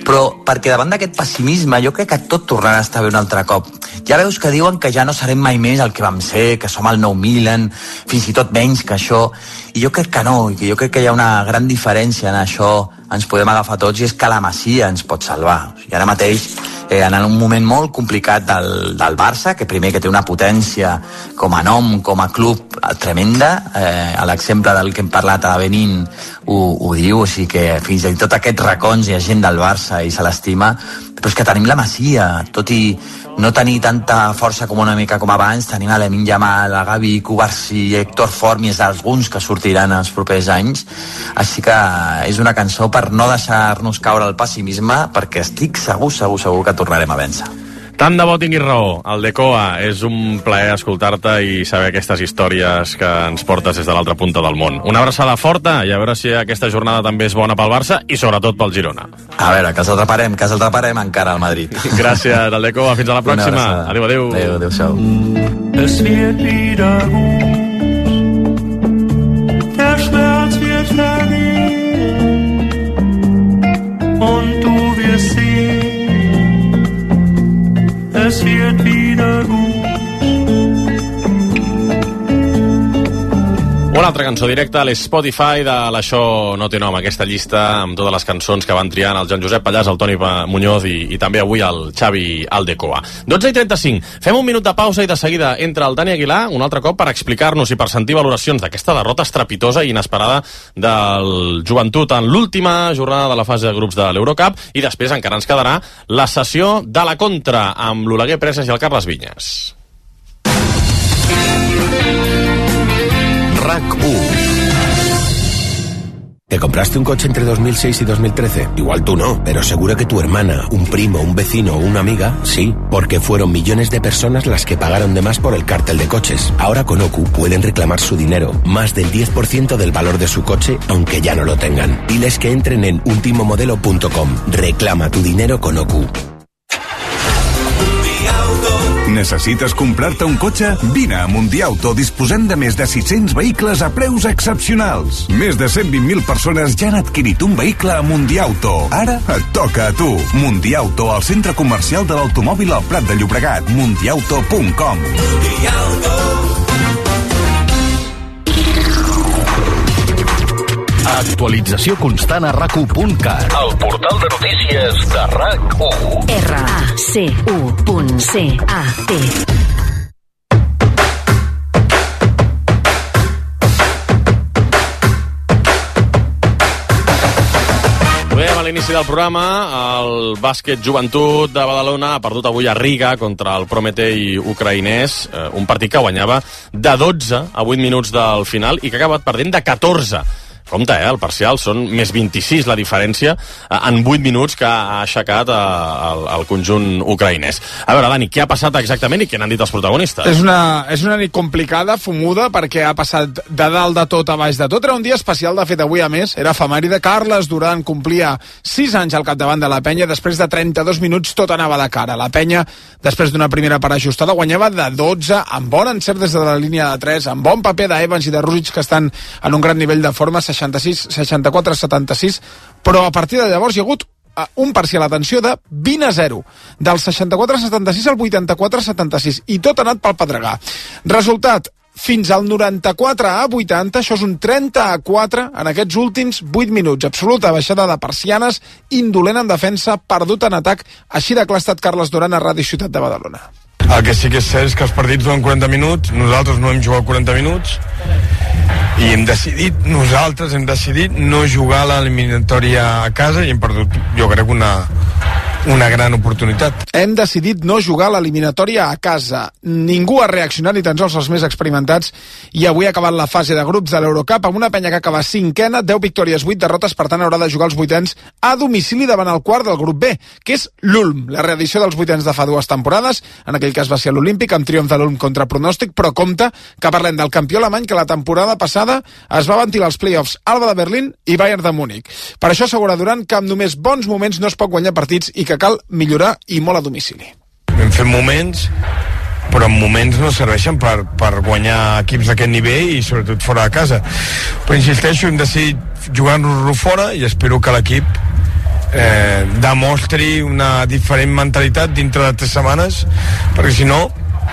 però perquè davant d'aquest pessimisme jo crec que tot tornarà a estar bé un altre cop. Ja veus que diuen que ja no serem mai més el que vam ser, que som el nou Milan, fins i tot menys que això, i jo crec que no, i que jo crec que hi ha una gran diferència en això, ens podem agafar tots, i és que la Masia ens pot salvar. O sigui, ara mateix, eh, en un moment molt complicat del, del Barça, que primer que té una potència com a nom, com a club tremenda, eh, a l'exemple del que hem parlat a Benín ho, ho diu, o sigui que fins i tot aquests racons hi ha gent del Barça i se l'estima, però és que tenim la Masia, tot i no tenir tanta força com una mica com abans, tenim a Lamine Yamal, a Gavi, Cubarsí, Héctor Fort, més alguns que sortiran els propers anys, així que és una cançó per no deixar-nos caure el pessimisme, perquè estic segur, segur, segur que tornarem a vèncer. Tant de bo tinguis raó, el de Coa. És un plaer escoltar-te i saber aquestes històries que ens portes des de l'altra punta del món. Una abraçada forta i a veure si aquesta jornada també és bona pel Barça i sobretot pel Girona. A veure, que els atraparem, que els atraparem encara al Madrid. Gràcies, el de Coa. Fins a la pròxima. Adéu, adéu. Adéu, adéu-siau. Es wird wieder gut, der Schmerz wird vergehen und du wirst sehen, es wird wieder gut. Una altra cançó directa a l'Spotify de l'Això no té nom, aquesta llista amb totes les cançons que van triant el Joan Josep Pallàs, el Toni Muñoz i, i també avui el Xavi Aldecoa. dotze i trenta-cinc. Fem un minut de pausa i de seguida entra el Dani Aguilar un altre cop per explicar-nos i per sentir valoracions d'aquesta derrota estrepitosa i inesperada del Joventut en l'última jornada de la fase de grups de l'Eurocup, i després encara ens quedarà la sessió de la contra amb l'Oleguer Presas i el Carles Vinyes. RAC uno. ¿Te compraste un coche entre dos mil seis y dos mil trece? Igual tú no, pero seguro que tu hermana, un primo, un vecino o una amiga, sí, porque fueron millones de personas las que pagaron de más por el cártel de coches. Ahora con O C U pueden reclamar su dinero, más del diez por ciento del valor de su coche, aunque ya no lo tengan. Diles que entren en ultimomodelo punto com. Reclama tu dinero con O C U. Necessites comprar-te un cotxe? Vine a Mundiauto, disposant de més de sis-cents vehicles a preus excepcionals. Més de cent vint mil persones ja han adquirit un vehicle a Mundiauto. Ara et toca a tu. Mundiauto, al centre comercial de l'automòbil al Prat de Llobregat. mundiauto punt com. Actualització constant a rac u punt cat. El portal de notícies de RAC u. R A C U punt C A T. Veiem a l'inici del programa, el bàsquet Joventut de Badalona ha perdut avui a Riga contra el Prometei ucraïnès, eh, un partit que guanyava de dotze a vuit minuts del final i que ha acabat perdent de catorze. Compte, eh? El parcial són més vint-i-sis la diferència eh, en vuit minuts que ha aixecat eh, el, el conjunt ucraïnès. A veure, Dani, què ha passat exactament i què n'han dit els protagonistes? És una, és una nit complicada, fumuda, perquè ha passat de dalt de tot a baix de tot. Era un dia especial, de fet, avui a més. Era efemèride. Carles Duran complia sis anys al capdavant de la penya. Després de trenta-dos minuts tot anava de cara. La penya, després d'una primera part ajustada, guanyava de dotze, amb bon encert des de la línia de tres, amb bon paper d'Evans i de Rússic, que estan en un gran nivell de forma, seixanta-sis, seixanta-quatre a setanta-sis, però a partir de llavors hi ha hagut un parcial, atenció, de vint a zero, del seixanta-quatre a setanta-sis al vuitanta-quatre a setanta-sis, i tot ha anat pel pedregar. Resultat, fins al noranta-quatre a vuitanta, això és un trenta a quatre en aquests últims vuit minuts. Absoluta baixada de persianes, indolent en defensa, perdut en atac. Així de clar ha estat Carles Duran a Ràdio Ciutat de Badalona. El que sí que és cert és que els partits duren quaranta minuts, nosaltres no hem jugat quaranta minuts i hem decidit, nosaltres hem decidit no jugar a l'eliminatòria a casa i hem perdut, jo crec, una, una gran oportunitat. Hem decidit no jugar a l'eliminatòria a casa. Ningú ha reaccionat, ni tan sols els més experimentats, i avui ha acabat la fase de grups de l'Eurocup amb una penya que acaba cinquena, deu victòries, vuit derrotes, per tant haurà de jugar els vuitens a domicili davant el quart del grup B, que és l'Ulm, la reedició dels vuitens de fa dues temporades. En aquell cas va ser l'Olímpic, amb triomf de l'Ulm contra pronòstic, però compte que parlem del campió alemany que la temporada passada es va ventilar als play-offs Alba de Berlín i Bayern de Múnich. Per això assegura Duran que amb només bons moments no es pot guanyar partits i que cal millorar, i molt a domicili. Hem fet moments però en moments no serveixen per, per guanyar equips d'aquest nivell i sobretot fora de casa. Però insisteixo, hem decidit jugar-nos-lo fora i espero que l'equip eh, demostri una diferent mentalitat dintre de tres setmanes, perquè si no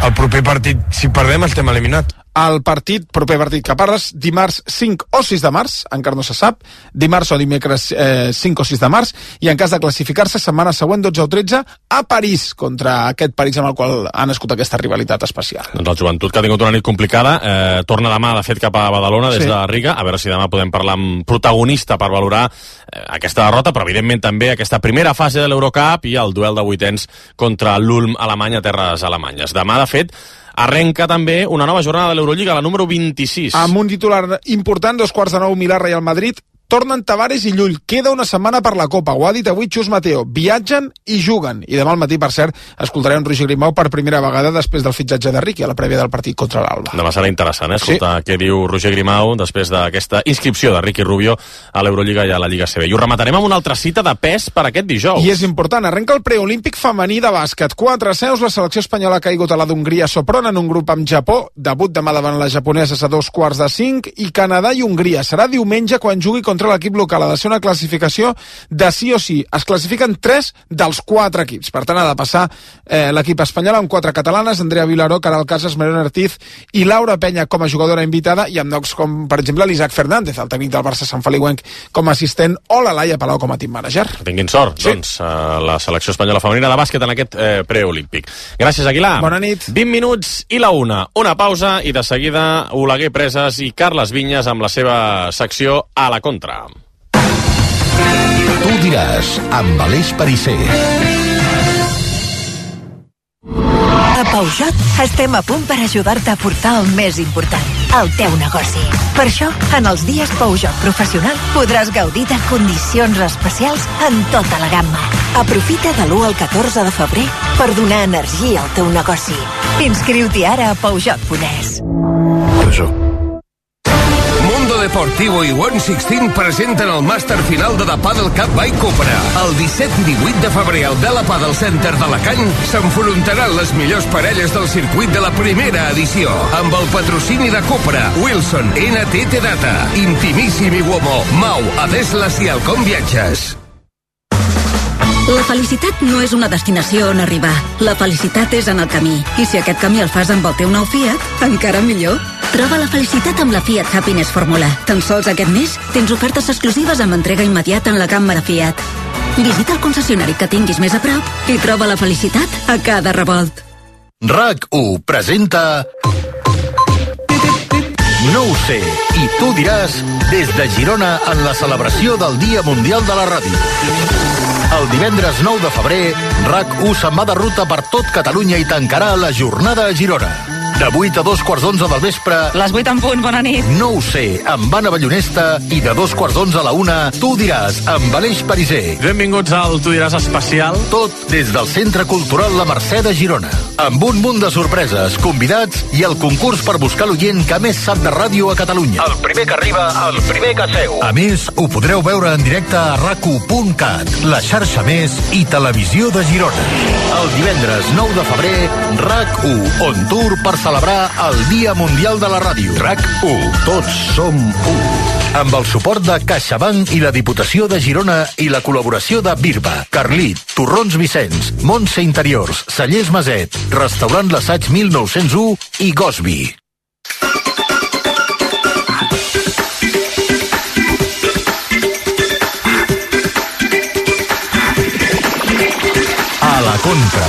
el proper partit, si perdem, estem eliminats. El partit, proper partit que parles, dimarts cinc o sis de març, encara no se sap, dimarts o dimecres eh, cinc o sis de març, i en cas de classificar-se, setmana següent, dotze o tretze, a París, contra aquest París amb el qual ha nascut aquesta rivalitat especial. Doncs el joventut, que ha tingut una nit complicada, eh, torna demà, de fet, cap a Badalona, des Sí. de Riga, a veure si demà podem parlar amb protagonista per valorar eh, aquesta derrota, però evidentment també aquesta primera fase de l'Eurocup i el duel de vuitens contra l'Ulm Alemany a terres alemanyes. Demà, de fet, arrenca també una nova jornada de l'Eurolliga, la número vint-i-sis. Amb un titular important, dos quarts de nou, Milà, Real Madrid. Tornen Tavares i Llull. Queda una setmana per la Copa. Ho ha dit avui Xus Mateo. Viatgen i juguen. I demà al matí, per cert, escoltarem Roger Grimau per primera vegada després del fitxatge de Riqui a la prèvia del partit contra l'Alba. Demà serà interessant, eh? Escoltar sí. què diu Roger Grimau després d'aquesta inscripció de Riqui Rubio a l'Eurolliga i a la Lliga C B. I ho rematarem amb una altra cita de pes per aquest dijous. I és important, arrenca el preolímpic femení de bàsquet. Quatre seus, la selecció espanyola ha caigut a la d'Hongria Sopron en un grup amb Japó, debut demà davant les japoneses a dos quarts de cinc, i Canadà i Hongria. Serà diumenge quan jugui contra l'equip local. Ha de ser una classificació de sí o sí. Es classifiquen tres dels quatre equips. Per tant, ha de passar eh, l'equip espanyol amb quatre catalanes, Andrea Vilaró, Caral Casas, Mariona Ortiz i Laura Penya com a jugadora invitada, i amb noms com, per exemple, l'Isaac Fernández, el tècnic del Barça Sant Feliuenc, com a assistent, o la Laia Palau com a team manager. Tinguin sort, sí. doncs, uh, la selecció espanyola femenina de bàsquet en aquest eh, preolímpic. Gràcies, Aguilar. Bona nit. vint minuts i la una. Una pausa i de seguida Oleguer Preses i Carles Vinyes amb la seva secció A la Contra. Tu diràs, amb Aleix Parisser. A Peugeot estem a punt per ajudar-te a portar el més important, el teu negoci. Per això, en els dies Peugeot Professional podràs gaudir de condicions especials en tota la gamma. Aprofita de l'u al catorze de febrer per donar energia al teu negoci. Inscriu-t'hi ara a Peugeot punt es. Peugeot. Mundo Deportivo i One Sixteen presenten el màster final de The Paddle Cup by Cupra. El disset i divuit de febrer al Vela Paddle Center d'Alacant s'enfrontaran les millors parelles del circuit de la primera edició, amb el patrocini de Cupra, Wilson, N T T Data, Intimissimi Uomo, Mau, Adeslas i Alcom Viatges. La felicitat no és una destinació on arribar. La felicitat és en el camí. I si aquest camí el fas amb el teu nou Fiat, encara millor. Troba la felicitat amb la Fiat Happiness Fórmula. Tan sols aquest mes tens ofertes exclusives amb entrega immediata en la gamma de Fiat. Visita el concessionari que tinguis més a prop i troba la felicitat a cada revolt. RAC u presenta No ho sé, i tu diràs, des de Girona en la celebració del Dia Mundial de la Ràdio. El divendres nou de febrer, RAC u se'n va de ruta per tot Catalunya i tancarà la jornada a Girona. De vuit a dos quarts d'onze del vespre... Les vuit en punt, bona nit. No ho sé, amb Anna Ballonesta, i de dos quarts d'onze a la una, tu diràs, amb Aleix Parisser. Benvinguts al Tu diràs especial. Tot des del Centre Cultural La Mercè de Girona. Amb un munt de sorpreses, convidats i el concurs per buscar l'oient que més sap de ràdio a Catalunya. El primer que arriba, el primer que seu. A més, ho podreu veure en directe a rac u punt cat, la xarxa Més i Televisió de Girona. El divendres nou de febrer, RAC u, on tour per celebrar el Dia Mundial de la Ràdio. RAC u, tots som u. Amb el suport de CaixaBank i la Diputació de Girona i la col·laboració de Birba, Carlit, Torrons Vicenç, Montse Interiors, Cellers Maset, Restaurant L'Assaig mil nou-cents u i Gosby. A la Contra.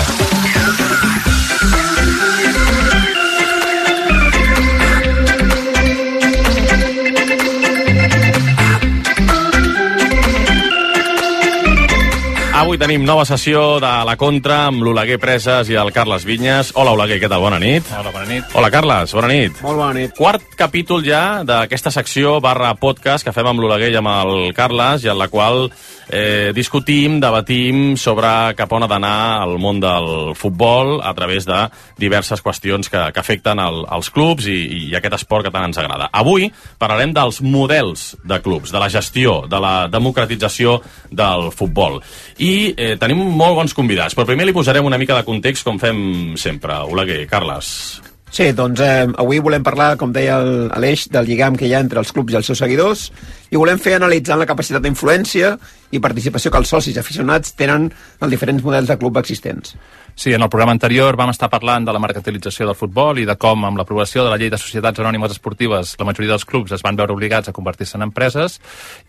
Avui tenim nova sessió de La Contra amb l'Oleguer Preses i el Carles Vinyes. Hola, Oleguer, què tal? Bona nit. Hola, bona nit. Hola, Carles, bona nit. Molt bona nit. Quart capítol ja d'aquesta secció barra podcast que fem amb l'Oleguer i amb el Carles, i en la qual eh, discutim, debatim sobre cap on ha d'anar el món del futbol a través de diverses qüestions que, que afecten el, els clubs i, i aquest esport que tant ens agrada. Avui parlarem dels models de clubs, de la gestió, de la democratització del futbol. I i eh, tenim molt bons convidats, però primer li posarem una mica de context com fem sempre. Oleguer, Carles. Sí, doncs eh, avui volem parlar, com deia el- Aleix, del lligam que hi ha entre els clubs i els seus seguidors i volem fer analitzant la capacitat d'influència i participació que els socis aficionats tenen en diferents models de club existents. Sí, en el programa anterior vam estar parlant de la mercantilització del futbol i de com, amb l'aprovació de la llei de societats anònimes esportives, la majoria dels clubs es van veure obligats a convertir-se en empreses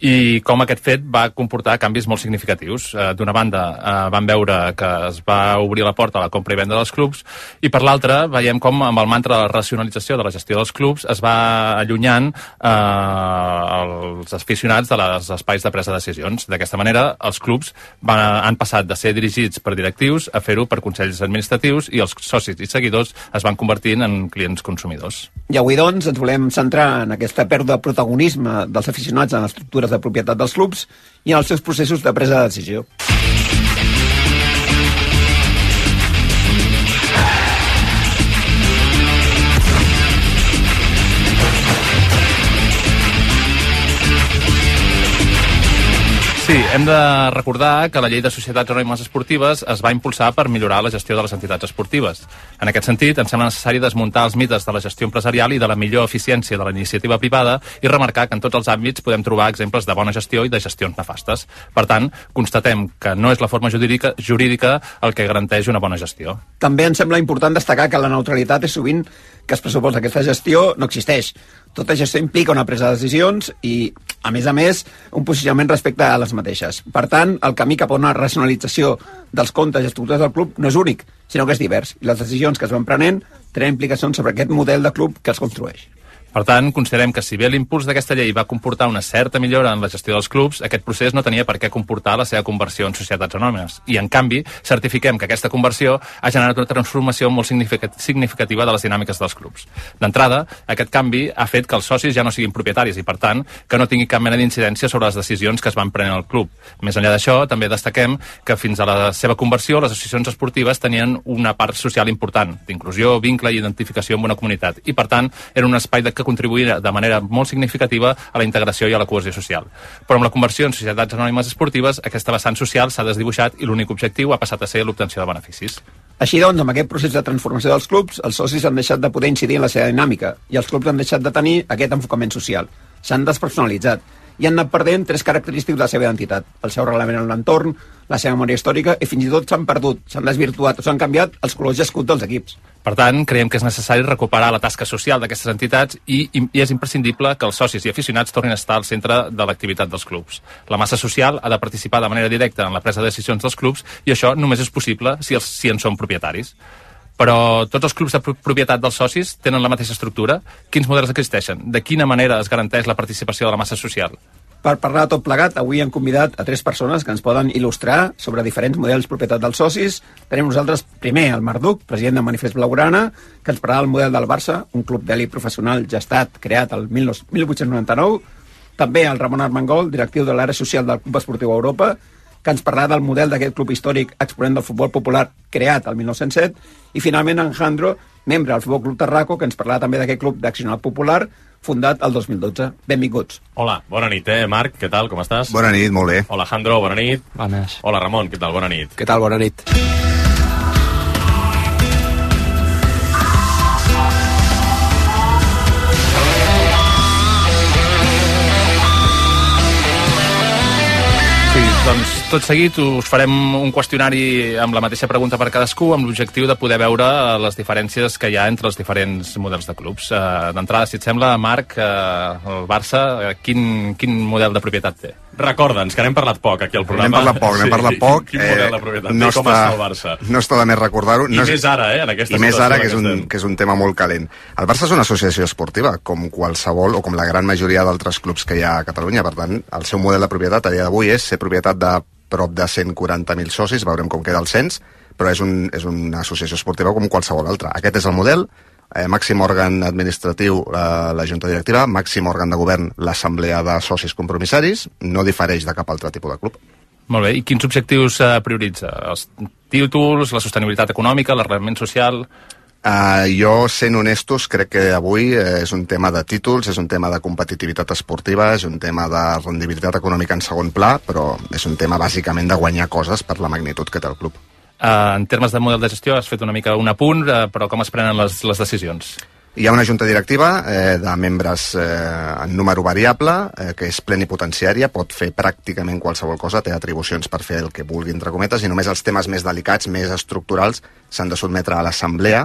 i com aquest fet va comportar canvis molt significatius. Eh, D'una banda, eh, vam veure que es va obrir la porta a la compra i venda dels clubs i per l'altra veiem com amb el mantra de la racionalització de la gestió dels clubs es va allunyant eh, els aficionats de les espais de presa de decisions. D'aquesta manera, els clubs van, han passat de ser dirigits per directius a fer-ho per consells administratius i els socis i seguidors es van convertint en clients consumidors. I avui, doncs, ens volem centrar en aquesta pèrdua de protagonisme dels aficionats en les estructures de propietat dels clubs i en els seus processos de presa de decisió. Sí, hem de recordar que la llei de societats anònimes esportives es va impulsar per millorar la gestió de les entitats esportives. En aquest sentit, ens sembla necessari desmuntar els mites de la gestió empresarial i de la millor eficiència de la iniciativa privada i remarcar que en tots els àmbits podem trobar exemples de bona gestió i de gestions nefastes. Per tant, constatem que no és la forma jurídica, jurídica el que garanteix una bona gestió. També ens sembla important destacar que la neutralitat és sovint que es pressuposa que aquesta gestió no existeix. Tota gestió implica una presa de decisions i, a més a més, un posicionament respecte a les mateixes. Per tant, el camí cap a una racionalització dels comptes i estructures del club no és únic, sinó que és divers. I les decisions que es van prenent tenen implicacions sobre aquest model de club que els construeix. Per tant, considerem que si bé l'impuls d'aquesta llei va comportar una certa millora en la gestió dels clubs, aquest procés no tenia per què comportar la seva conversió en societats anònimes. I, en canvi, certifiquem que aquesta conversió ha generat una transformació molt significativa de les dinàmiques dels clubs. D'entrada, aquest canvi ha fet que els socis ja no siguin propietaris i, per tant, que no tingui cap mena d'incidència sobre les decisions que es van prenent al club. Més enllà d'això, també destaquem que fins a la seva conversió les associacions esportives tenien una part social important, d'inclusió, vincle i identificació amb una comunitat. I, per tant, era un espai de que contribuir de manera molt significativa a la integració i a la cohesió social. Però amb la conversió en societats anònimes esportives, aquesta vessant social s'ha desdibuixat i l'únic objectiu ha passat a ser l'obtenció de beneficis. Així doncs, amb aquest procés de transformació dels clubs, els socis han deixat de poder incidir en la seva dinàmica i els clubs han deixat de tenir aquest enfocament social. S'han despersonalitzat i han anat perdent tres característics de la seva identitat: el seu reglament en l'entorn, la seva memòria històrica i fins i tot s'han perdut, s'han desvirtuat o s'han canviat els colors i escut dels equips. Per tant, creiem que és necessari recuperar la tasca social d'aquestes entitats i, i és imprescindible que els socis i aficionats tornin a estar al centre de l'activitat dels clubs. La massa social ha de participar de manera directa en la presa de decisions dels clubs i això només és possible si, els, si en són propietaris. Però tots els clubs de propietat dels socis tenen la mateixa estructura? Quins models existeixen? De quina manera es garanteix la participació de la massa social? Per parlar de tot plegat, avui hem convidat a tres persones que ens poden il·lustrar sobre diferents models propietat dels socis. Tenim nosaltres, primer, el Marc Duc, president de Manifest Blaugrana, que ens parlarà del model del Barça, un club d'elit professional gestat, creat el mil vuit-cents noranta-nou. També el Ramon Armengol, directiu de l'àrea social del Club Esportiu Europa, que ens parlarà del model d'aquest club històric exponent del futbol popular creat el mil nou-cents set. I finalment en Jandro, membre del Futbol Club Tarraco, que ens parlarà també d'aquest club d'accionat popular fundat el dos mil dotze. Benvinguts. Hola, bona nit, eh, Marc, què tal, com estàs? Bona nit, molt bé. Hola, Jandro, bona nit. Bones. Hola, Ramon, què tal, bona nit. Què tal, bona nit. Doncs tot seguit us farem un qüestionari amb la mateixa pregunta per cadascú amb l'objectiu de poder veure les diferències que hi ha entre els diferents models de clubs. D'entrada, si et sembla, Marc, el Barça, quin, quin model de propietat té? Recorda'ns, que n'hem parlat poc aquí al programa. N'hem parlat poc, n'hem parlat poc. Quin, quin model de propietat no té? Com està, està el Barça? No està de més recordar-ho. I no és, més ara, eh, en aquesta I més ara, que és, que un, que és un tema molt calent. El Barça és una associació esportiva, com qualsevol, o com la gran majoria d'altres clubs que hi ha a Catalunya. Per tant, el seu model de propietat a dia d'avui és ser propietat de prop de cent quaranta mil socis, veurem com queda el cens, però és, un, és una associació esportiva com qualsevol altra. Aquest és el model. Eh, màxim òrgan administratiu, eh, la Junta Directiva, màxim òrgan de govern, l'Assemblea de Socis Compromissaris, no difereix de cap altre tipus de club. Molt bé, i quins objectius eh, prioritza? Els títols, la sostenibilitat econòmica, l'arrelament social? Uh, jo, sent honestos, crec que avui eh, és un tema de títols, és un tema de competitivitat esportiva, és un tema de rendibilitat econòmica en segon pla, però és un tema bàsicament de guanyar coses per la magnitud que té el club. Uh, en termes de model de gestió has fet una mica un apunt, uh, però com es prenen les, les decisions? Hi ha una junta directiva eh, de membres eh, en número variable, eh, que és plenipotenciària, pot fer pràcticament qualsevol cosa, té atribucions per fer el que vulgui, entre cometes, i només els temes més delicats, més estructurals, s'han de sotmetre a l'assemblea,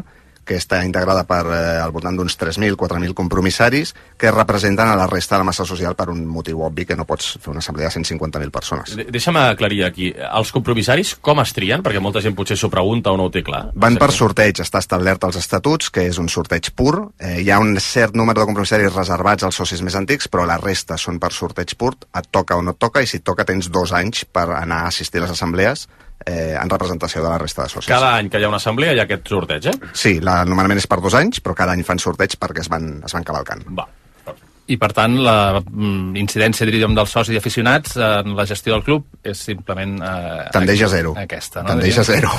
que està integrada per eh, al voltant d'uns tres mil, quatre mil compromissaris, que representen a la resta de la massa social per un motiu obvi, que no pots fer una assemblea de cent cinquanta mil persones. De Deixa'm aclarir aquí, els compromissaris com es trien? Perquè molta gent potser s'ho pregunta o no ho té clar. Van per sorteig, està establert als estatuts, que és un sorteig pur. Eh, hi ha un cert número de compromissaris reservats als socis més antics, però la resta són per sorteig pur, et toca o no et toca, i si et toca tens dos anys per anar a assistir a les assemblees eh, en representació de la resta de socis. Cada any que hi ha una assemblea hi ha aquest sorteig, eh? Sí, la, normalment és per dos anys, però cada any fan sorteig perquè es van, es van cavalcant. Va. I, per tant, la mm, incidència, diríem, dels socis i aficionats en la gestió del club és simplement... Eh, tendeix a zero. Aquesta, no? Tendeix a zero.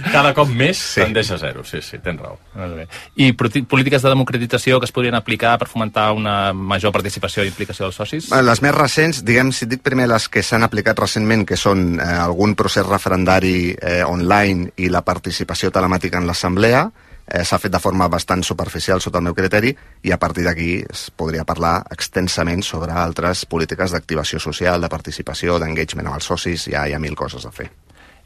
Cada cop més sí. Tendeix a zero, sí, sí, tens raó. I polítiques de democratització que es podrien aplicar per fomentar una major participació i implicació dels socis? Les més recents, diguem, si et dic primer les que s'han aplicat recentment, que són eh, algun procés referendari eh, online i la participació telemàtica en l'assemblea, Eh, s'ha fet de forma bastant superficial sota el meu criteri, i a partir d'aquí es podria parlar extensament sobre altres polítiques d'activació social, de participació, d'engagement amb els socis. Ja hi ha mil coses a fer.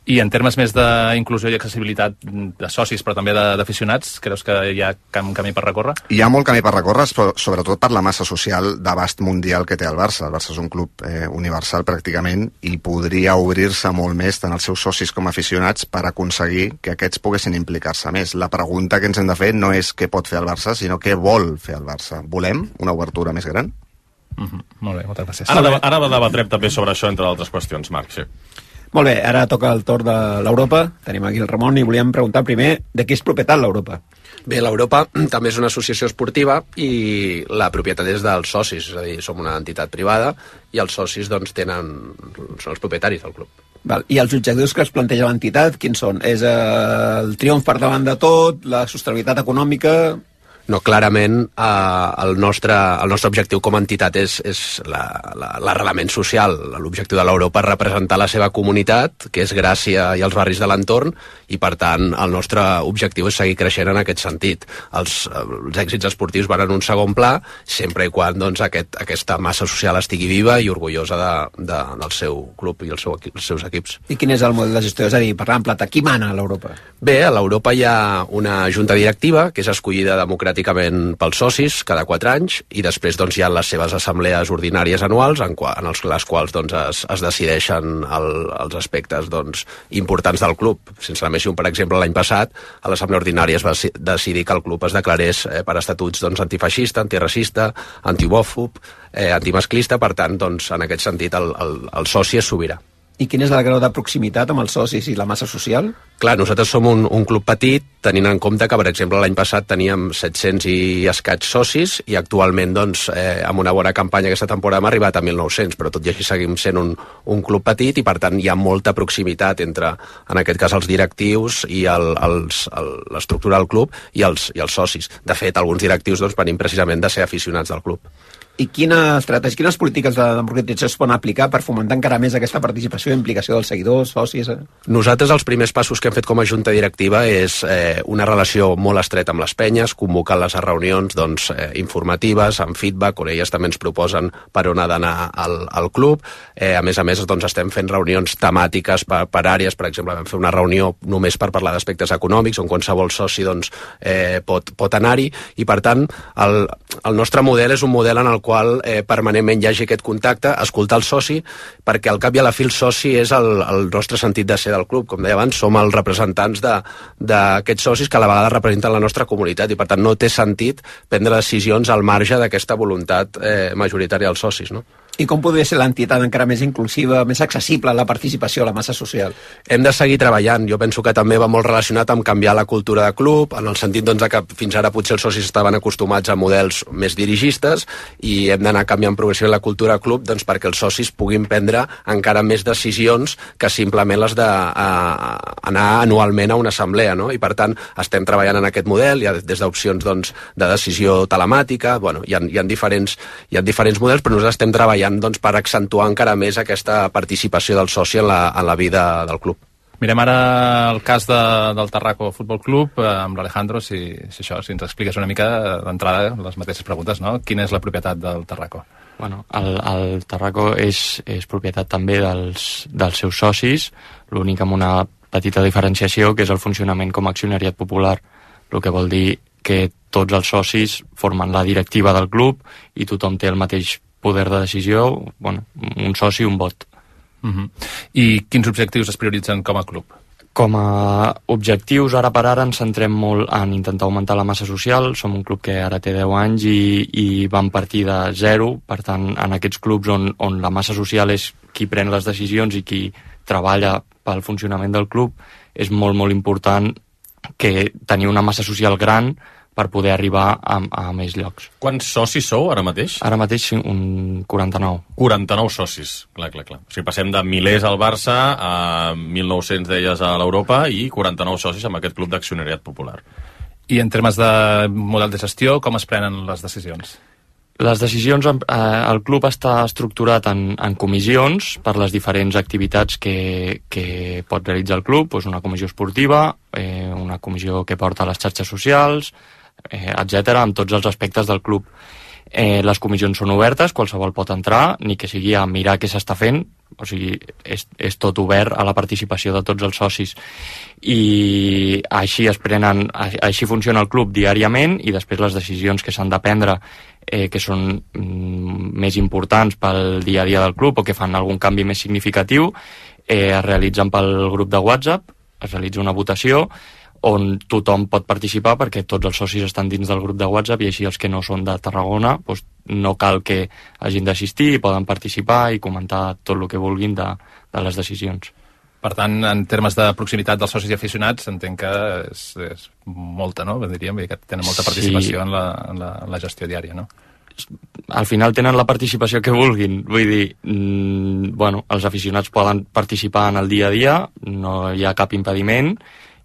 I en termes més d'inclusió i accessibilitat de socis, però també d'aficionats, creus que hi ha un camí per recórrer? Hi ha molt camí per recórrer, sobretot per la massa social d'abast mundial que té el Barça. El Barça és un club eh, universal pràcticament, i podria obrir-se molt més tant als seus socis com aficionats per aconseguir que aquests poguessin implicar-se més. La pregunta que ens hem de fer no és què pot fer el Barça, sinó què vol fer el Barça. Volem una obertura més gran? Mm-hmm. Molt bé, moltes gràcies. Ara, ara debatrem també sobre això, entre altres qüestions, Marc, sí. Molt bé, ara toca el torn de l'Europa. Tenim aquí el Ramon i volíem preguntar primer de qui és propietat l'Europa. Bé, l'Europa també és una associació esportiva i la propietat és dels socis, és a dir, som una entitat privada i els socis doncs tenen, són els propietaris del club. Val. I els objectius que es planteja l'entitat, quins són? És el triomf per davant de tot, la sostenibilitat econòmica... No, clarament eh, el, nostre, el nostre objectiu com a entitat és, és l'arrelament social. L'objectiu de l'Europa és representar la seva comunitat, que és Gràcia i els barris de l'entorn, i per tant el nostre objectiu és seguir creixent en aquest sentit. Els, els èxits esportius van en un segon pla, sempre i quan doncs, aquest, aquesta massa social estigui viva i orgullosa de, de, del seu club i el seu, els seus equips. I quin és el model de gestió? És a dir, parlant en plata, qui mana a l'Europa? Bé, a l'Europa hi ha una junta directiva que és escollida democràticament pels socis cada quatre anys, i després doncs, hi ha les seves assemblees ordinàries anuals en, qua, en els, les quals doncs, es, es decideixen el, els aspectes doncs, importants del club. Sense la més, per exemple, l'any passat a l'assemblea ordinària es va decidir que el club es declarés eh, per estatuts doncs, antifeixista, antiracista, antihomòfob, eh, antimasclista. Per tant, doncs, en aquest sentit el, el, el soci és sobirà. I quin és el grau de proximitat amb els socis i la massa social? Clar, nosaltres som un, un club petit, tenint en compte que, per exemple, l'any passat teníem set-cents i escaig socis, i actualment, doncs, eh, amb una bona campanya aquesta temporada hem arribat a mil nou-cents, però tot i així seguim sent un, un club petit, i per tant hi ha molta proximitat entre, en aquest cas, els directius i l'estructura del club i els, i els socis. De fet, alguns directius doncs, venim precisament de ser aficionats del club. I quines estratègies, quines polítiques de democratització es poden aplicar per fomentar encara més aquesta participació i implicació dels seguidors, socis? Eh? Nosaltres els primers passos que hem fet com a junta directiva és eh, una relació molt estreta amb les penyes, convocant-les a reunions doncs, eh, informatives, amb feedback, on elles també ens proposen per on ha d'anar al, al club. Eh, a més a més, doncs, estem fent reunions temàtiques per, per àrees. Per exemple, vam fer una reunió només per parlar d'aspectes econòmics, on qualsevol soci doncs, eh, pot, pot anar-hi, i per tant el, el nostre model és un model en el qual eh, permanentment hi hagi aquest contacte, escoltar el soci, perquè al cap i a la fi el soci és el, el nostre sentit de ser del club. Com deia abans, som els representants d'aquests socis que a la vegada representen la nostra comunitat, i per tant no té sentit prendre decisions al marge d'aquesta voluntat eh, majoritària dels socis, no? I com podria ser l'entitat encara més inclusiva, més accessible a la participació a la massa social? Hem de seguir treballant. Jo penso que també va molt relacionat amb canviar la cultura de club, en el sentit doncs, que fins ara potser els socis estaven acostumats a models més dirigistes i hem d'anar canviant progressivament la cultura de club doncs, perquè els socis puguin prendre encara més decisions que simplement les d'anar anualment a una assemblea. No? I per tant estem treballant en aquest model, hi ha des d'opcions doncs, de decisió telemàtica, bueno, hi ha, hi ha diferents, hi ha diferents models, però nosaltres estem treballant doncs, per accentuar encara més aquesta participació del soci en la, en la vida del club. Mirem ara el cas de, del Tarraco Futbol Club eh, amb l'Alejandro, si, si, això, si ens expliques una mica d'entrada les mateixes preguntes, no? Quina és la propietat del Tarraco? Bueno, el, el Tarraco és, és propietat també dels, dels seus socis, l'únic amb una petita diferenciació, que és el funcionament com a accionariat popular, el que vol dir que tots els socis formen la directiva del club i tothom té el mateix poder de decisió, bueno, un soci, un vot. Uh-huh. I quins objectius es prioritzen com a club? Com a objectius, ara per ara ens centrem molt en intentar augmentar la massa social. Som un club que ara té deu anys i, i vam partir de zero, per tant, en aquests clubs on, on la massa social és qui pren les decisions i qui treballa pel funcionament del club, és molt, molt important que tenir una massa social gran per poder arribar a, a més llocs. Quants socis sou ara mateix? Ara mateix un quaranta-nou. quaranta-nou socis, clar, clar, clar. O sigui, passem de milers al Barça a mil nou-cents d'elles a l'Europa i quaranta-nou socis amb aquest club d'accionariat popular. I en termes de model de gestió, com es prenen les decisions? Les decisions, eh, el club està estructurat en, en comissions per les diferents activitats que, que pot realitzar el club, doncs una comissió esportiva, eh, una comissió que porta les xarxes socials, eh, etcètera, amb tots els aspectes del club. Eh, les comissions són obertes, qualsevol pot entrar, ni que sigui a mirar què s'està fent, o sigui, és, és tot obert a la participació de tots els socis. I així es prenen, així funciona el club diàriament, i després les decisions que s'han de prendre, eh, que són mm, més importants pel dia a dia del club o que fan algun canvi més significatiu, eh, es realitzen pel grup de WhatsApp, es realitza una votació on tothom pot participar perquè tots els socis estan dins del grup de WhatsApp i així els que no són de Tarragona doncs no cal que hagin d'assistir i poden participar i comentar tot el que vulguin de, de les decisions. Per tant, en termes de proximitat dels socis i aficionats, entenc que és, és molta, no? Diríem que tenen molta participació sí. en, la, en, la, en la gestió diària, no? Al final tenen la participació que vulguin, vull dir, mmm, bueno, els aficionats poden participar en el dia a dia, no hi ha cap impediment,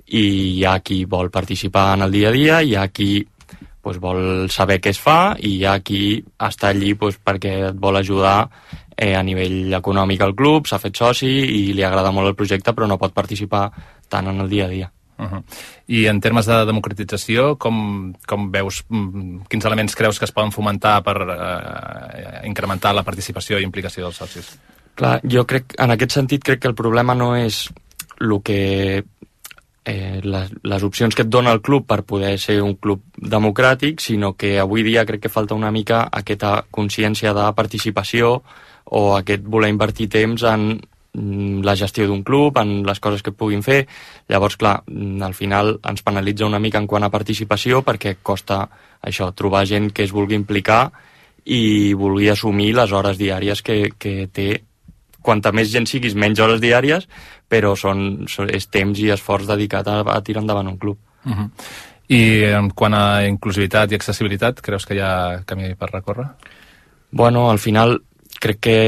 i hi ha qui vol participar en el dia a dia, hi ha qui pues, vol saber què es fa i hi ha qui està allí pues, perquè et vol ajudar eh, a nivell econòmic al club, s'ha fet soci i li agrada molt el projecte però no pot participar tant en el dia a dia. Uh-huh. I en termes de democratització, com, com veus, quins elements creus que es poden fomentar per eh, incrementar la participació i implicació dels socis? Clar, jo crec, en aquest sentit crec que el problema no és el que Eh, les, les opcions que et dona el club per poder ser un club democràtic, sinó que avui dia crec que falta una mica aquesta consciència de participació o aquest voler invertir temps en mm, la gestió d'un club, en les coses que et puguin fer. Llavors, clar, al final ens penalitza una mica en quant a participació perquè costa això, trobar gent que es vulgui implicar i vulgui assumir les hores diàries que, que té. Quanta més gent siguis, menys hores diàries, però són, són, és temps i esforç dedicat a, a tirar endavant un club. Uh-huh. I en quant a inclusivitat i accessibilitat, creus que hi ha camí per recórrer? Bueno, al final crec que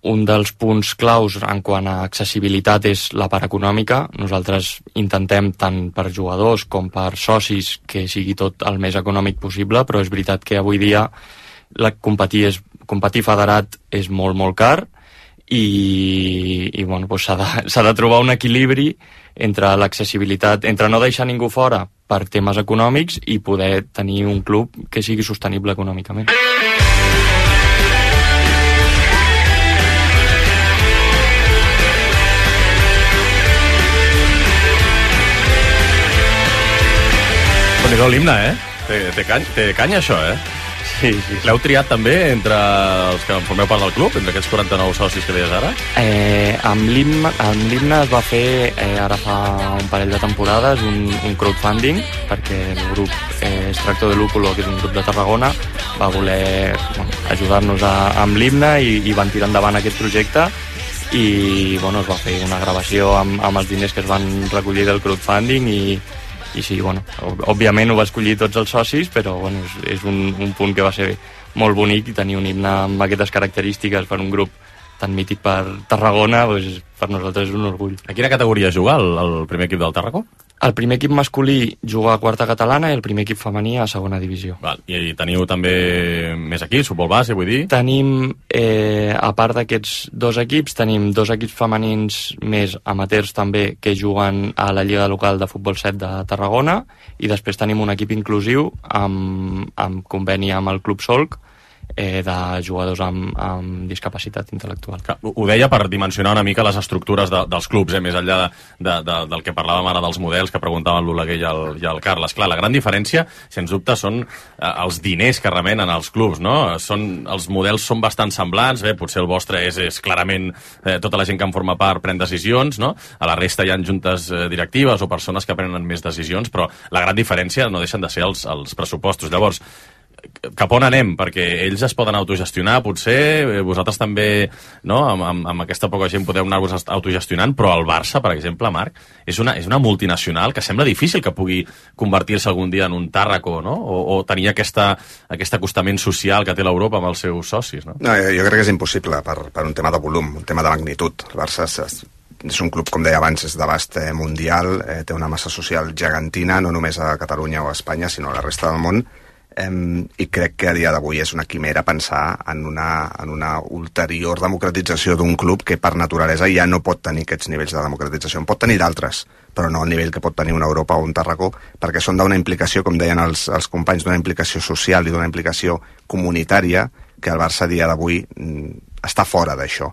un dels punts claus en quant a accessibilitat és la part econòmica. Nosaltres intentem tant per jugadors com per socis que sigui tot el més econòmic possible, però és veritat que avui dia la competir, és, competir federat és molt, molt car, i, i bueno, doncs s'ha de, s'ha de trobar un equilibri entre l'accessibilitat, entre no deixar ningú fora per temes econòmics i poder tenir un club que sigui sostenible econòmicament. Déu-n'hi-do l'himne, eh? Té, té, cany, té canya, això, eh? Sí, sí. L'heu triat també entre els que formeu part del club, entre aquests quaranta-nou socis que deies ara? Eh, amb l'himne es va fer eh, ara fa un parell de temporades un, un crowdfunding, perquè el grup eh, Extracto de Lúpulo, que és un grup de Tarragona, va voler bueno, ajudar-nos a, amb l'himne i, i van tirar endavant aquest projecte i bueno, es va fer una gravació amb, amb els diners que es van recollir del crowdfunding i, i sí, bueno, òbviament ho va escollir tots els socis, però bueno, és, és un, un punt que va ser molt bonic i tenir un himne amb aquestes característiques per un grup tan mític per Tarragona, doncs, per nosaltres és un orgull. A quina categoria juga el, el primer equip del Tàrraco? El primer equip masculí juga a quarta catalana i el primer equip femení a segona divisió. Val. I teniu també més equips, futbol base, vull dir? Tenim, eh, a part d'aquests dos equips, tenim dos equips femenins més amateurs també que juguen a la Lliga Local de Futbol set de Tarragona i després tenim un equip inclusiu amb, amb conveni amb el Club Solc eh, de jugadors amb, amb discapacitat intel·lectual. Ho deia per dimensionar una mica les estructures de, dels clubs, eh, més enllà de, de, de, del que parlàvem ara dels models que preguntaven l'Oleguer i, el, i el Carles. Clar, la gran diferència, sens dubte, són eh, els diners que remenen als clubs, no? Són, els models són bastant semblants, bé, potser el vostre és, és clarament eh, tota la gent que en forma part pren decisions, no? A la resta hi ha juntes eh, directives o persones que prenen més decisions, però la gran diferència no deixen de ser els, els pressupostos. Llavors, cap on anem? Perquè ells es poden autogestionar, potser, vosaltres també, no? amb, amb, amb aquesta poca gent podeu anar-vos autogestionant, però el Barça, per exemple, Marc, és una, és una multinacional que sembla difícil que pugui convertir-se algun dia en un Tàrraco, no? O, o tenir aquesta, aquest acostament social que té l'Europa amb els seus socis, no? No, jo crec que és impossible per, per un tema de volum, un tema de magnitud. El Barça és, és un club, com deia abans, és d'abast eh, mundial, eh, té una massa social gegantina, no només a Catalunya o a Espanya, sinó a la resta del món. Um, i crec que a dia d'avui és una quimera pensar en una, en una ulterior democratització d'un club que per naturalesa ja no pot tenir aquests nivells de democratització. En pot tenir d'altres, però no al nivell que pot tenir una Europa o un Tàrraco, perquè són d'una implicació, com deien els, els companys, d'una implicació social i d'una implicació comunitària que el Barça a dia d'avui mm, està fora d'això.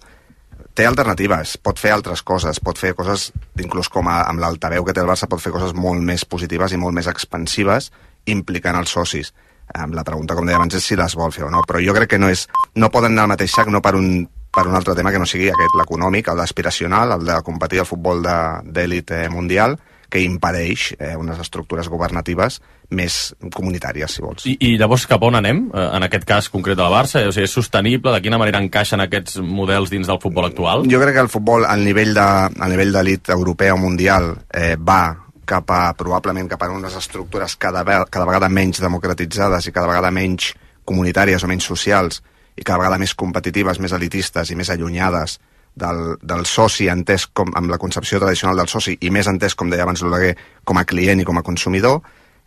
Té alternatives, pot fer altres coses, pot fer coses, inclús com a, amb l'altaveu que té el Barça, pot fer coses molt més positives i molt més expansives, implicant els socis. La pregunta, com deia abans, és si les vol fer o no, però jo crec que no és, no poden anar al mateix sac, no per un, per un altre tema que no sigui aquest, l'econòmic, el d'aspiracional, el de competir al futbol d'èlit de, mundial, que impedeix eh, unes estructures governatives més comunitàries, si vols. I, i llavors cap on anem, eh, en aquest cas concret del Barça? O sigui, és sostenible? De quina manera encaixen aquests models dins del futbol actual? Jo crec que el futbol, al nivell de, al nivell d'elit europea o mundial, eh, va cap a, probablement cap a unes estructures cada, cada vegada menys democratitzades i cada vegada menys comunitàries o menys socials i cada vegada més competitives, més elitistes i més allunyades del, del soci entès com, amb la concepció tradicional del soci i més entès, com deia abans l'Oleguer, com a client i com a consumidor,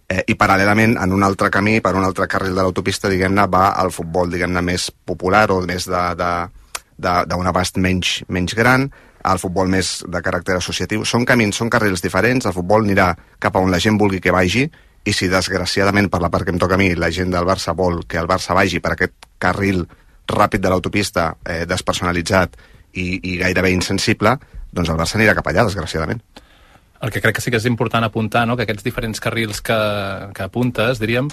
eh, i paral·lelament en un altre camí, per un altre carril de l'autopista, diguem-ne, va al futbol, diguem-ne, més popular o més d'un abast menys, menys gran, al futbol més de caràcter associatiu. Són camins, són carrils diferents, el futbol anirà cap a on la gent vulgui que vagi, i si desgraciadament, per la part que em toca a mi, la gent del Barça vol que el Barça vagi per aquest carril ràpid de l'autopista, eh, despersonalitzat i, i gairebé insensible, doncs el Barça anirà cap allà, desgraciadament. El que crec que sí que és important apuntar, no?, que aquests diferents carrils que, que apuntes, diríem,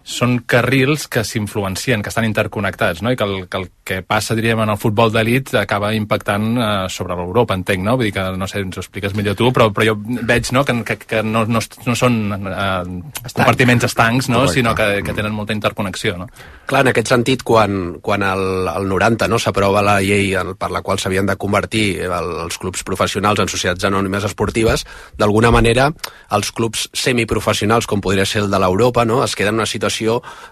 són carrils que s'influencien, que estan interconnectats, no? I que el, que el que passa, diríem, en el futbol d'elit acaba impactant eh, sobre l'Europa, entenc, no? Vull dir que, no sé, ens ho expliques millor tu, però, però jo veig, no?, que, que, que no, no, no són eh, compartiments estancs, no?, sinó que, que tenen molta interconnexió, no? Clar, en aquest sentit, quan, quan el, el noranta, no?, s'aprova la llei per la qual s'havien de convertir el, els clubs professionals en societats anònimes esportives, d'alguna manera els clubs semiprofessionals, com podria ser el de l'Europa, no?, es queden en una situació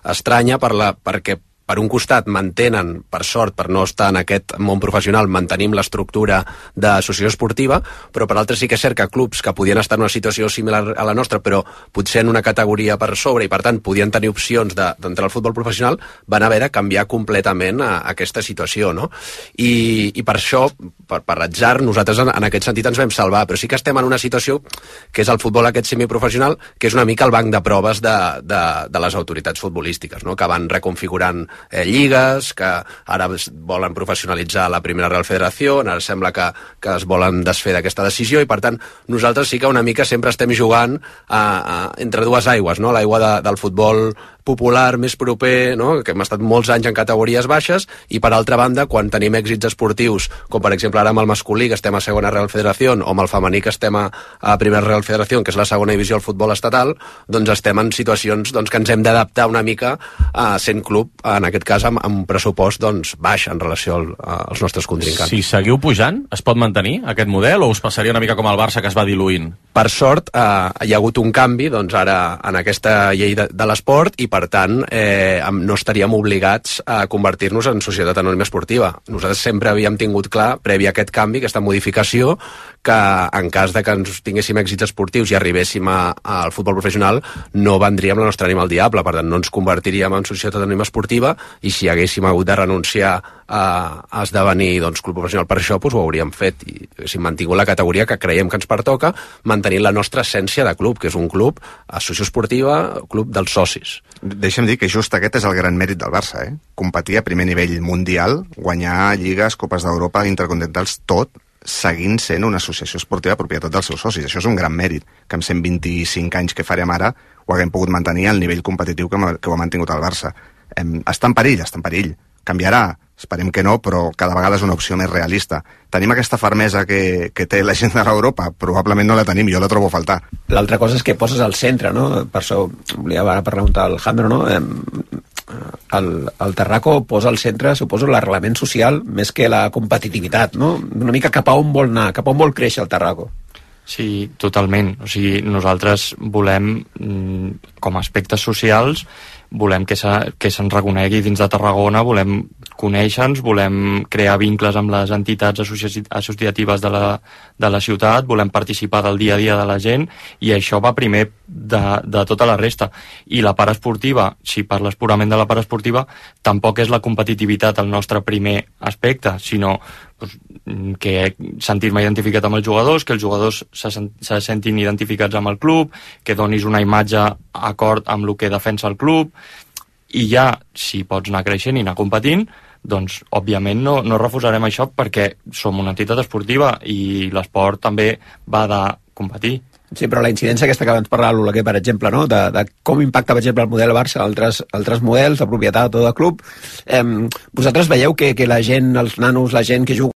estranya per la, perquè per un costat mantenen, per sort, per no estar en aquest món professional, mantenim l'estructura d'associació esportiva, però per altre sí que és cert que clubs que podien estar en una situació similar a la nostra, però potser en una categoria per sobre i per tant podien tenir opcions d'entrar al futbol professional, van haver de canviar completament a, a aquesta situació, no? I, i per això, per, per atzar, nosaltres en, en aquest sentit ens vam salvar, però sí que estem en una situació que és el futbol aquest semiprofessional, que és una mica el banc de proves de, de, de les autoritats futbolístiques, no?, que van reconfigurant Eh, lligues, que ara volen professionalitzar la primera Real Federació, ara sembla que, que es volen desfer d'aquesta decisió i per tant nosaltres sí que una mica sempre estem jugant a, a, entre dues aigües, no? L'aigua de, del futbol popular, més proper, no? Que hem estat molts anys en categories baixes, i per altra banda, quan tenim èxits esportius, com per exemple ara amb el masculí, que estem a segona Real Federació, o amb el femení, que estem a, a primera Real Federació, que és la segona divisió del futbol estatal, doncs estem en situacions doncs, que ens hem d'adaptar una mica a sent club, en aquest cas amb, amb un pressupost doncs, baix en relació al, als nostres contrincants. Si seguiu pujant, es pot mantenir aquest model o us passaria una mica com el Barça, que es va diluint? Per sort, eh, hi ha hagut un canvi doncs, ara en aquesta llei de, de l'esport, i per tant eh, no estaríem obligats a convertir-nos en societat anònima esportiva. Nosaltres sempre havíem tingut clar, previ a aquest canvi, aquesta modificació, que en cas de que ens tinguéssim èxits esportius i arribéssim a, al futbol professional, no vendríem la nostra ànima al diable, per tant no ens convertiríem en societat anònima esportiva, i si haguéssim hagut de renunciar a, a esdevenir doncs, club professional per això, doncs ho hauríem fet i haguéssim mantingut la categoria que creiem que ens pertoca, mantenint la nostra essència de club, que és un club associació esportiva, club dels socis. Deixa'm dir que just aquest és el gran mèrit del Barça, eh? Competir a primer nivell mundial, guanyar lligues, copes d'Europa, intercontinentals, tot seguint sent una associació esportiva de propietat dels seus socis. Això és un gran mèrit, que amb cent vint-i-cinc anys que farem ara ho haguem pogut mantenir al nivell competitiu que, que ho ha mantingut el Barça. Em, està en perill, està en perill. Canviarà, esperem que no, però cada vegada és una opció més realista. Tenim aquesta fermesa que, que té la gent de l'Europa? Probablement no la tenim, jo la trobo a faltar. L'altra cosa és que poses al centre, no? Per això volia ara preguntar al Jandro, no? Em, el, el Tarraco posa al centre, suposo, l'arrelament social més que la competitivitat, no? Una mica cap a on vol anar, cap a on vol créixer el Tarraco. Sí, totalment. O sigui, nosaltres volem, com a aspectes socials, volem que, se, que se'ns reconegui dins de Tarragona, volem conèixer-nos, volem crear vincles amb les entitats associ associatives de la, de la ciutat, volem participar del dia a dia de la gent, i això va primer de, de tota la resta. I la part esportiva, si parles purament de la part esportiva, tampoc és la competitivitat el nostre primer aspecte, sinó pues, que sentir-me identificat amb els jugadors, que els jugadors se, se sentin identificats amb el club, que donis una imatge acord amb el que defensa el club, i ja, si pots anar creixent i anar competint, doncs, òbviament, no, no refusarem això perquè som una entitat esportiva i l'esport també va de competir. Sí, però la incidència aquesta que abans parlava l'Oleguer, per exemple, no? de, de com impacta, per exemple, el model Barça a altres, altres models de propietat o de club, eh, vosaltres veieu que, que la gent, els nanos, la gent que juga